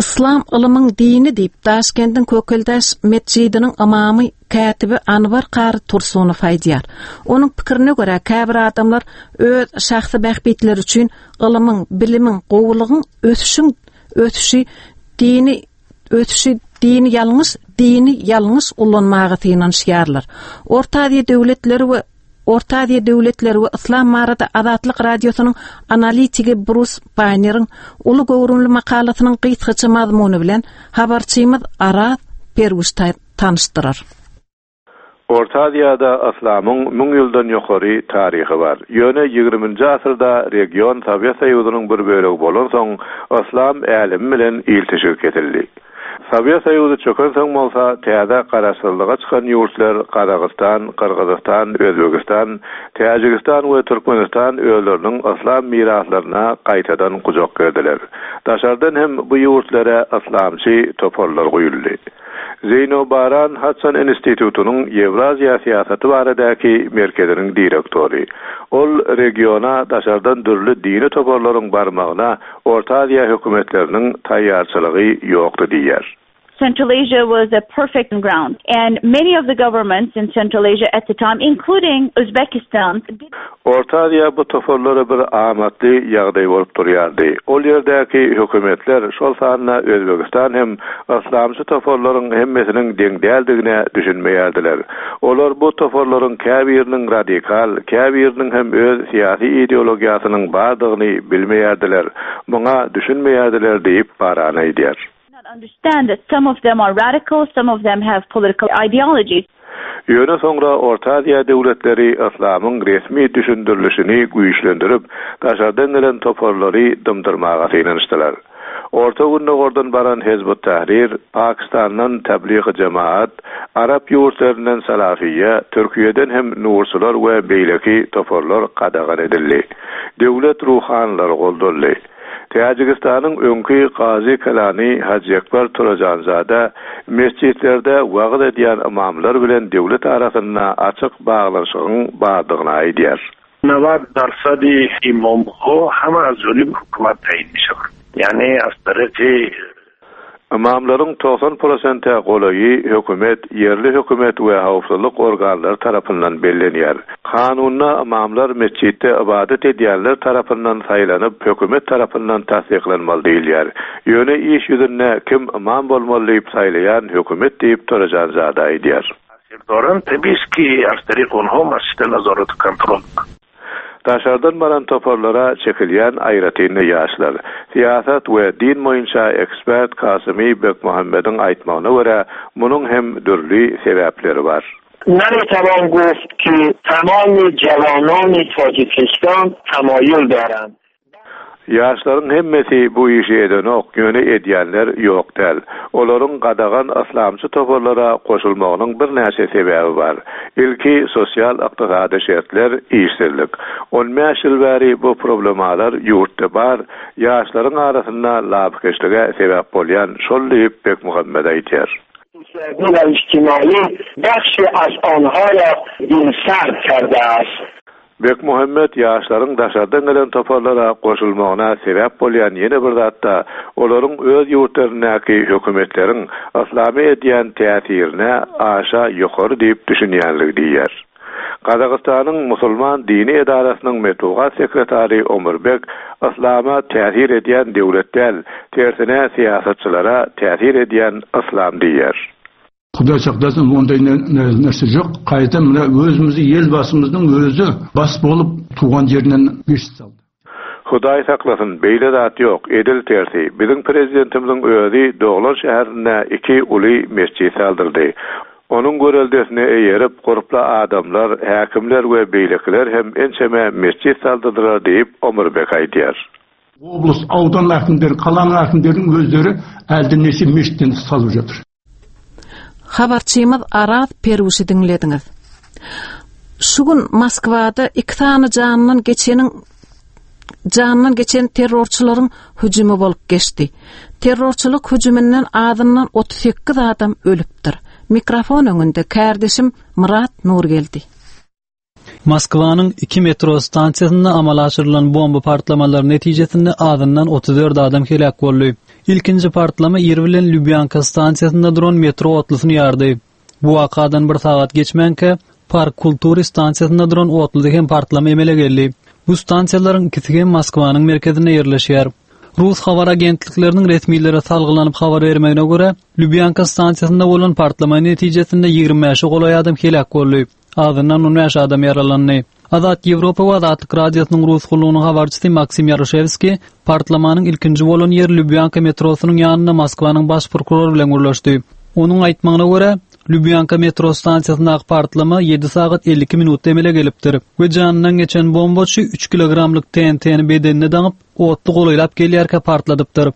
Yslam ylymyň dini diýip, Daşkendiň Kökeldaş metjidiniň ymamy, kätibi Anwar kary Tursunow aýdýar. Onuň pikirine görä, käbir adamlar öz şahsy bähbitleri üçin ylymyň, bilimiň, gowulygyň, ösüşiň ösüşi dini ösüşi dini ýalňyş dini ýalňyş ulanmaga synanyşýarlar. Orta Aziýa döwletleri we Orta Aziýa döwletleri we yslam barada Azatlyk Radiosynyň analitigi Brus Baýneriň uly göwrümli makalasynyň gysgaça mazmuny bilen habarçymyz Araz Perwiş tanyşdyrar. Orta Aziýada yslamyň müň ýyldan ýokary taryhy bar. Ýöne ýigriminji asyrda region Sowet Soýuzynyň bir bölegi bolansoň, yslam älemi bilen ilteşigi kesildi. Sowet Soýuzy çökensoň bolsa, täze garaşsyzlyga çykan ýurtlar Gazagystan, Gyrgyzystan, Özbegistan, Täjigistan we Türkmenistan özleriniň yslam miraslaryna gaýtadan gujak gerdiler. Daşardan hem bu ýurtlara yslamçy toparlar guýuldy. Zeýno Baran Hudson institutynyň Ýewraziýa syýasaty baradaky merkeziniň direktory. Ol regiona daşardan dürli dini toparlaryň barmagyna Orta Aziýa hökümetleriniň taýýarçylygy ýokdy diýýär. Central Asia was a perfect ground and many of the governments in Central Asia at the time including Uzbekistan did Orta Aziýa bu toparlara bir amatly ýagdaý bolup durýardy. Ol ýerdäki hökümetler, şol sanda Özbegistan hem yslamçy toparlaryň hemmesiniň deň däldigine düşünmeýärdiler. Olar bu toparlaryň käbiriniň radikal, käbiriniň hem öz syýasy ideologiýasynyň bardygyny bilmeýärdiler, muňa düşünmeýärdiler diýip, Baran aýdýar. Ýöne soňra Orta Aziýa döwletleri yslamyň resmi düşündirilişini güýçlendirip, daşardan gelen toparlary dymdyrmaga synanyşdylar. Orta Gündogardan baran Hezb-ut-Tahrir, Pakistandan Tabligh-i Jemaat, arap ýurtlaryndan Salafiýa, Türkiýeden hem Nurçylar we beýleki toparlar gadagan edildi. Döwlet ruhanylary goldaldy. Täjigistanyň öňki Kazy Kalany Hajyekber Turajanzada metjitlerde wagyz edýän ymamlar bilen döwlet arasynda açyk baglanyşygyň bardygyny aýdýar. Nawad darsadi imamha hama az jonib hukumat tayin mishawand. Ýani az tariqi Ymamlaryň 90 prosente golaýy hökümet, ýerli hökümet we howpsuzlyk organlary tarapyndan bellenýär. Kanunda ymamlar metjitde ybadat edýänler tarapyndan saýlanyp, hökümet tarapyndan tassyklanmaly diýilýär. Ýöne iş ýüzünde kim ymam bolmaly diýip saýlaýan hökümet diýip Torajanzada aýdýar. Daşardan baran toparlara çekilýän aýratyn-da ýaşlar. Syýasat we din boýunça ekspert Kasymy Bekmuhammediň aýtmagyna görä, munuň hem dürli sebäpleri bar. Nametawan guft ki tamami jawanani Tajikistan tamayul darand. Ýaşlaryň hemmesi bu işi edenok, ýöne edýänler ýok däl. Olaryň gadagan yslamçy toparlara goşulmagynyň birnäçe sebäbi bar. Ilki sosial-ykdysady şertler, işsizlik. On bäş ýyl bäri bu problemalar ýurtda bar, ýaşlaryň arasynda lapykeçlige sebäp bolýan şol diýip, Bekmuhammet aýdýar. Bekmuhammet ýaşlaryň daşardan gelen toparlara goşulmagyna sebäp bolýan ýene bir zat-da, olaryň öz ýurtlaryndaky hökümetleriň yslama edýän täsirine aşa ýokary diýip düşünýänligi diýýär. Gazagystanyň musulman dini edarasynyň metbugat sekretary Omurbek yslama täsir edýän döwlet däl, tersine syýasatçylara täsir edýän yslam diýýär. Hudaý saklasyn onday nerse jok. Gaýta mına özümizi Elbasymyzyň özi bas bolup tugan ýerinden mejlis saldy. Hudaý saklasyn beýle zat ýok, edil tersi, biziň prezidentimiziň özi doglan şäherinde iki uly mesjit saldyrdy. Onuň göreldesine eýerip gurply adamlar, häkimler we beýlekiler hem ençeme mesjit saldyrdylar diýip Omurbek aýdýar. Oblast, audan äkimleri, kalanyň äkimleriniň özleri älden neçe mejitden salyp jatyr. Habarçymyz Araz Perwişi diňlediňiz. Şu gün Moskwada iki sany janyndan geçeniň janyndan geçen terrorçylaryň hüjümi bolup geçdi. Terrorçylyk hüjüminden azyndan 38 adam ölüpdir. Mikrofon öňünde kärdeşim Myrat Nurgeldi. Moskwanyň iki metro stansiýasynda amala aşyrylan bomba partlamalary netijesinde azyndan 34 adam heläk boldy. Ilkinji partlama ir bilen Lubýanka stansiýasynda duran metro otlusyny ýardy. Bu wakadan bir sagat geçmänkä, Park Kultury stansiýasynda duran otluda hem partlama emele geldi. Bu stansiýalaryň ikisi hem Moskwanyň merkezinde ýerleşýär. Rus habar agentlikleriniň resmilere salgylanyp habar bermegine görä, Lubýanka stansiýasynda bolan partlama netijesinde 25-e golaý adam heläk boldy. Azyndan 15 adam ýaralandy. Azat Ýewropa we Azatlyk Radiosynyň rus gullugynyň habarçysy Maksim Ýaroşewskiý partlamanyň ilkinji bolan ýeri Lubýanka metrosynyň ýanynda Moskwanyň baş prokurory bilen gürleşdi. Onuň aýtmagyna görä, Lubýanka metro stansiýasyndaky partlama 7 sagat 52 minutda emele gelipdir we janyndan geçen bombaçy 3 kilogramlyk TNT-ni bedenine daňyp, otly golaýlap gelýärkä partladypdyr.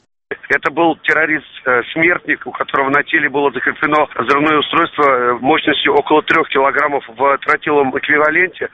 Это был террорист-смертник, у которого на теле было закреплено взрывное устройство мощностью около трех килограммов в тротиловом эквиваленте.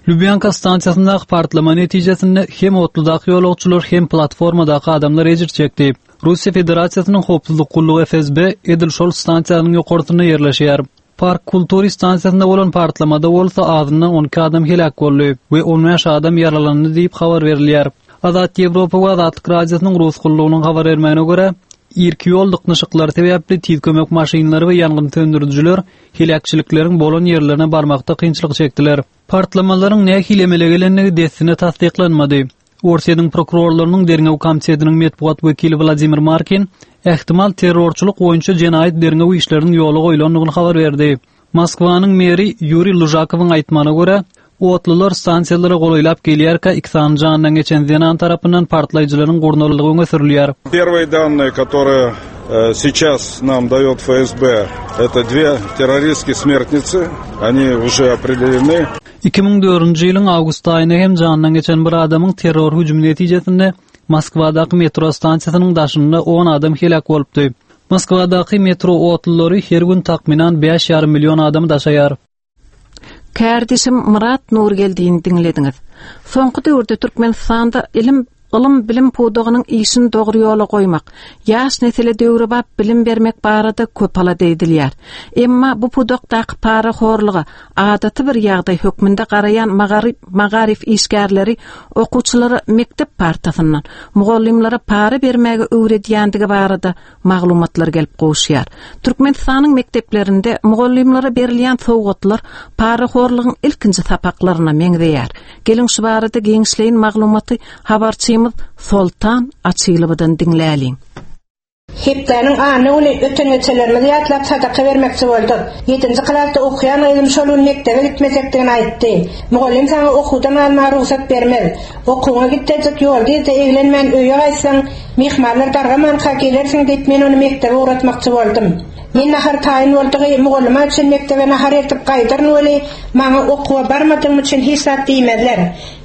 Lubýanka stansiýasyndaky partlama netijesinde hem otludaky ýolagçylar, hem platformadaky adamlar ejir çekdi. Russiýa Federasiýasynyň Howpsuzlyk gullugy FSB edil şol stansiýanyň ýokarsynda ýerleşýär. Park Kultury stansiýasynda bolan partlamada bolsa azyndan 12 adam heläk boldy we 15 adam ýaralandy diýip habar berilýär. Azat Ýewropa we Azatlyk Radiosynyň rus gullugynyň habar bermegine görä, irki ýol dyknyşyklary sebäpli tiz kömek maşynlary we ýangyn söndürijiler heläkçilikleriň bolan ýerlerine barmakda kynçylyk çekdiler. Partlamalaryň nähili emele gelendigi dessine tassyklanmady. Orsýetiň prokurorlarynyň derňew komitetiniň metbugat wekili Wladimir Markin ähtimal terrorçylyk boýunça jenaýat derňew işleriniň ýola goýlandygyny habar berdi. Moskwanyň meri Ýuriý Lužakowyň aýtmagyna görä, otlular stansiýalara golaýlap gelýärkä iki sany janyndan geçen zenan tarapyndan partlaýjylaryň gurnaldygy öňe sürülýär. Первые данные, которые э, сейчас нам дает ФСБ, это две террористки-смертницы, они уже определены. 2004-nji ýylyň awgust aýynda hem janyndan geçen bir adamyň terror hüjümi netijesinde Moskwadaky metro stansiýasynyň daşynda on adam heläk bolupdy. Moskwadaky metro otlulary her gün takmynan bäş ýarym million adamy daşaýar. Kärdeşim Myrat Nurgeldini diňlediňiz. Soňky döwürde Türkmenistanda ilim. Ylym-bilim pudagynyň işini dogry ýola goýmak, ýaş nesle döwrebap bilim bermek barada köp alada edilýär. Emma bu pudakdaky parahorluga adaty bir ýagdaý hökmünde garaýan magaryf işgärleri okuwçylara mekdep partasyndan mugallymlara para bermäge öwredýändigi barada maglumatlar gelip gowuşýar. Türkmenistanyň mekdeplerinde mugallymlara berilýän sowgatlar parahorlugyň ilkinji sapaklaryna meňzeýär. Geliň şu barada giňişleýin maglumaty habarçymyz Soltan Açylowadan diňläliň. Hepdäniň anna güni öten-geçenlerimizi ýatlap sadaka bermekçi bolduk. Ýedinji klasda okaýan gyzym şol gün mekdebe gitmejekdigini aýtdy. Mugallym saňa okuwdan galmaga rugsat bermez. Okuwyňa gitjejik ýolda-yzda eglenmän öýe gaýtsaň, myhmanlar dargamanka gelersiň diýip men ony mekdebe ugratmakçy boldum. Men nahar taýyn boldugy mugallyma üçin mekdebe nahar eltip gaýdaryn weli, maňa okuwa barmadygym üçin hiç zat diýmezler.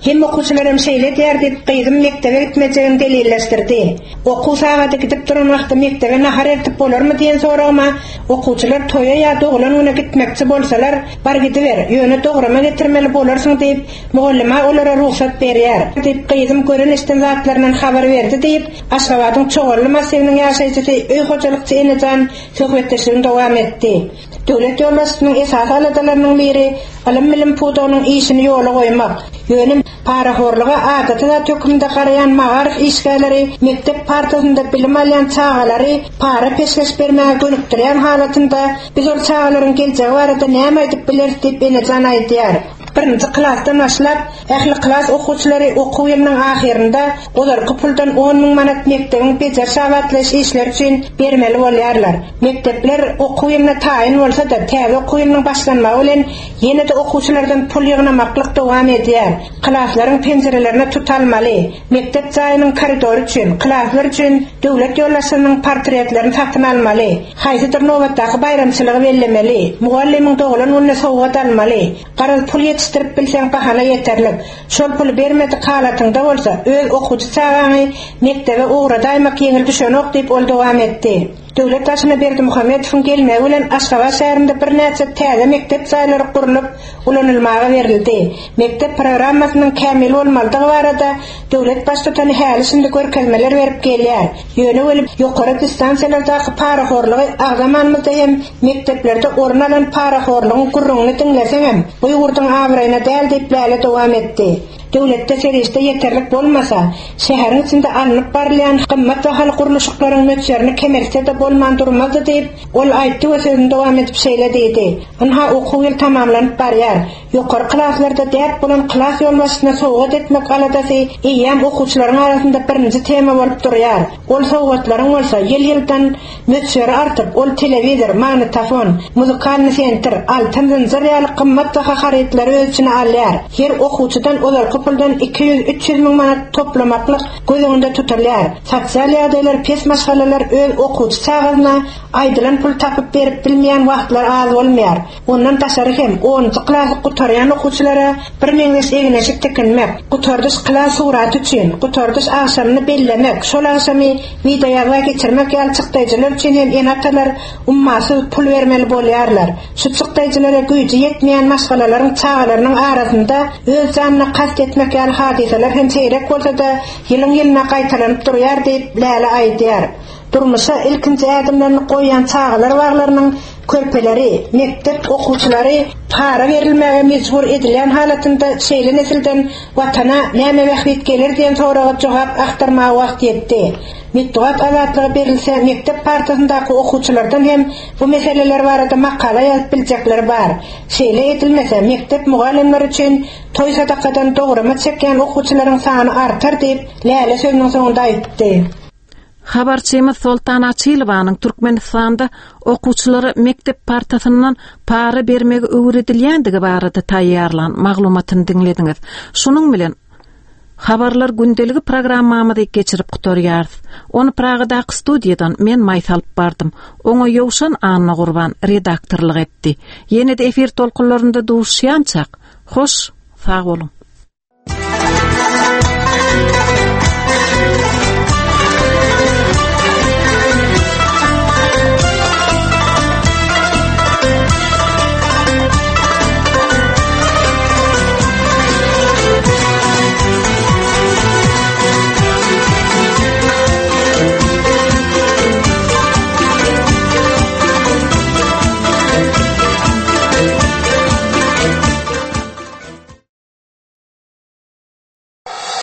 Hemme okuwçylar hem şeýle edýär diýip gyzym mekdebe gitmejegini delilleşdirdi. Okuw sagady gidip duran wagty mekdebe nahar eltip bolarmy diýen soragyma okuwçylar toýa ýa doglan güne gitmekçi bolsalar, bar gidiber, ýöne dograma getirmeli bolarsyň diýip, Mugallyma olara rugsat berýär, diýip, gyzym gören-eşiden zatlaryndan habar berdi diýip, Aşgabadyň Çogally massiwiniň ýaşaýjysy, öý hojalykçy Enejan söhbetdeşligini dowam etdi. Döwlet ýolbaşçysynyň esasy aladalarynyň biri ylym-bilim pudagynyň işini ýola goýmak. Ýöne parahorluga adaty zat hökmünde garaýan magaryf işgärleri mekdep partasynda bilim alýan çagalary para-peşgeş bermäge gönükdirýän halatynda, biz ol çagalaryň geljegi barada näme aýdyp bileris diýip, Enejan aýdýar. Birinji klasdan başlap, ähli klas okuwçylary okuw ýylynyň ahyrynda ozalky puldan 10 müň manat mekdebiň bejeriş-abatlaýyş işleri üçin bermeli bolýarlar. Mekdepler okuw ýylyna taýyn bolsa-da, täze okuw ýylynyň başlanmagy bilen ýene-de okuwçylardan pul ýygnamaklyk dowam edýär. Klaslaryň penjirelerine tut almaly, mekdep jaýynyň koridory üçin, klaslar üçin döwlet ýolbaşçysynyň portretlerini satyn almaly, haýsydyr nobatdaky baýramçylygy bellemeli, mugallymyň doglan gününe sowgat almaly. Garaz, pul ýetişdirip bilseň bahana ýeterlik. Şol puly bermedik halatyňda bolsa, öz okuwçy çagaňy mekdebe ugradaýmak ýeňil düşenok diýip, ol dowam etdi. Döwlet başyna Berdimuhamedowyň gelmegi bilen Aşgabat şäherinde birnäçe täze mekdep jaýlary gurlup, ulanylmaga berildi. Mekdep programmasynyň kämil bolmalydygy barada döwlet Baştutany häli-şindi görkezmeler berip gelýär. Ýöne weli ýokary distansiýalardaky parahorlugy agzamanymyzda hem mekdeplerde orun alan parahorlugyň gürrüňini diňleseňem, bu ýurduň abraýyna däl diýip Läle dowam etdi. Döwletde serişde ýeterlik bolmasa, şäheriň içinde alnyp barylýan gymmat bahaly gurluşyklaryň möçberini kemeltse-de bolman durmazdy diýip, ol aýtdy we sözüni dowam edip şeýle diýdi, Ynha, okuw ýyly tamamlanyp barýar. Ýokary klaslarda däp bolan klas ýolbaşçysyna sowgat etmek aladasy eýýäm okuwçylaryň arasynda birinji tema bolup durýar. Ol sowgatlaryň bolsa ýyl-ýyldan möçberi artyp, ol telewizor, magnitofon, muzykalnyý sentr, altyn zynjyr ýaly gymmatbaha harytlary öz içine alýar. Her okuwçydan ozalky puldan 200-300 müň manat toplamaklyk göz öňünde tutulýar. Sosial ýagdaýlary pes maşgalalar öz okuwçy çagasyna aýdylan puly tapyp berip bilmeýän wagtlary az bolmaýar. Ondan daşary hem onunjy klasy gutarýan okuwçylara birmeňzeş egin-eşik tikinmek, gutardyş klas suraty üçin gutardyş agşamyny bellemek, şol agşamy wideoýazga geçirmek ýaly çykdaýjylar üçin hem ene-atalar ummasyz pul bermeli bolýarlar. Şu çykdaýjylara güýji ýetmeýän maşgalalaryň çagalarynyň arasynda öz janyna kast etmek ýaly hadysalar hem seýrek bolsa-da, ýylyň-ýylyna gaýtalanyp durýar diýip, Läle aýdýar. Durmuşa ilkinji ädimlerini goýýan çagalar baglarynyň körpeleri, mekdep okuwçylary para berilmäge mejbur edilýän halatynda şeýle nesilden Watana näme bähbit geler diýen soraga jogap agtarmaga wagt ýetdi. Metbugat azatlygy berilse mekdep partasyndaky okuwçylardan hem bu meseleler barada makala ýazyp biljekleri bar. Şeýle edilmese mekdep mugallymlary üçin toý sadakadan dograma çekýän okuwçylaryň sany artar diýip, Läle sözüniň soňunda aýtdy. Habarçymyz Soltan Açylowanyň Türkmenistanda okuwçylara mekdep partasyndan para bermegi öwredilýändigi barada taýýarlan maglumatyny diňlediňiz. Şunuň bilen Habarlar gündeligi programmamyzy geçirip gutarýarys. Ony Pragadaky studiýadan men Maýsa alyp bardym. Oňa Ýowşan Annagurban redaktorlyk etdi. Ýene-de efir tolkunlarynda duşýançak, hoş, sag boluň!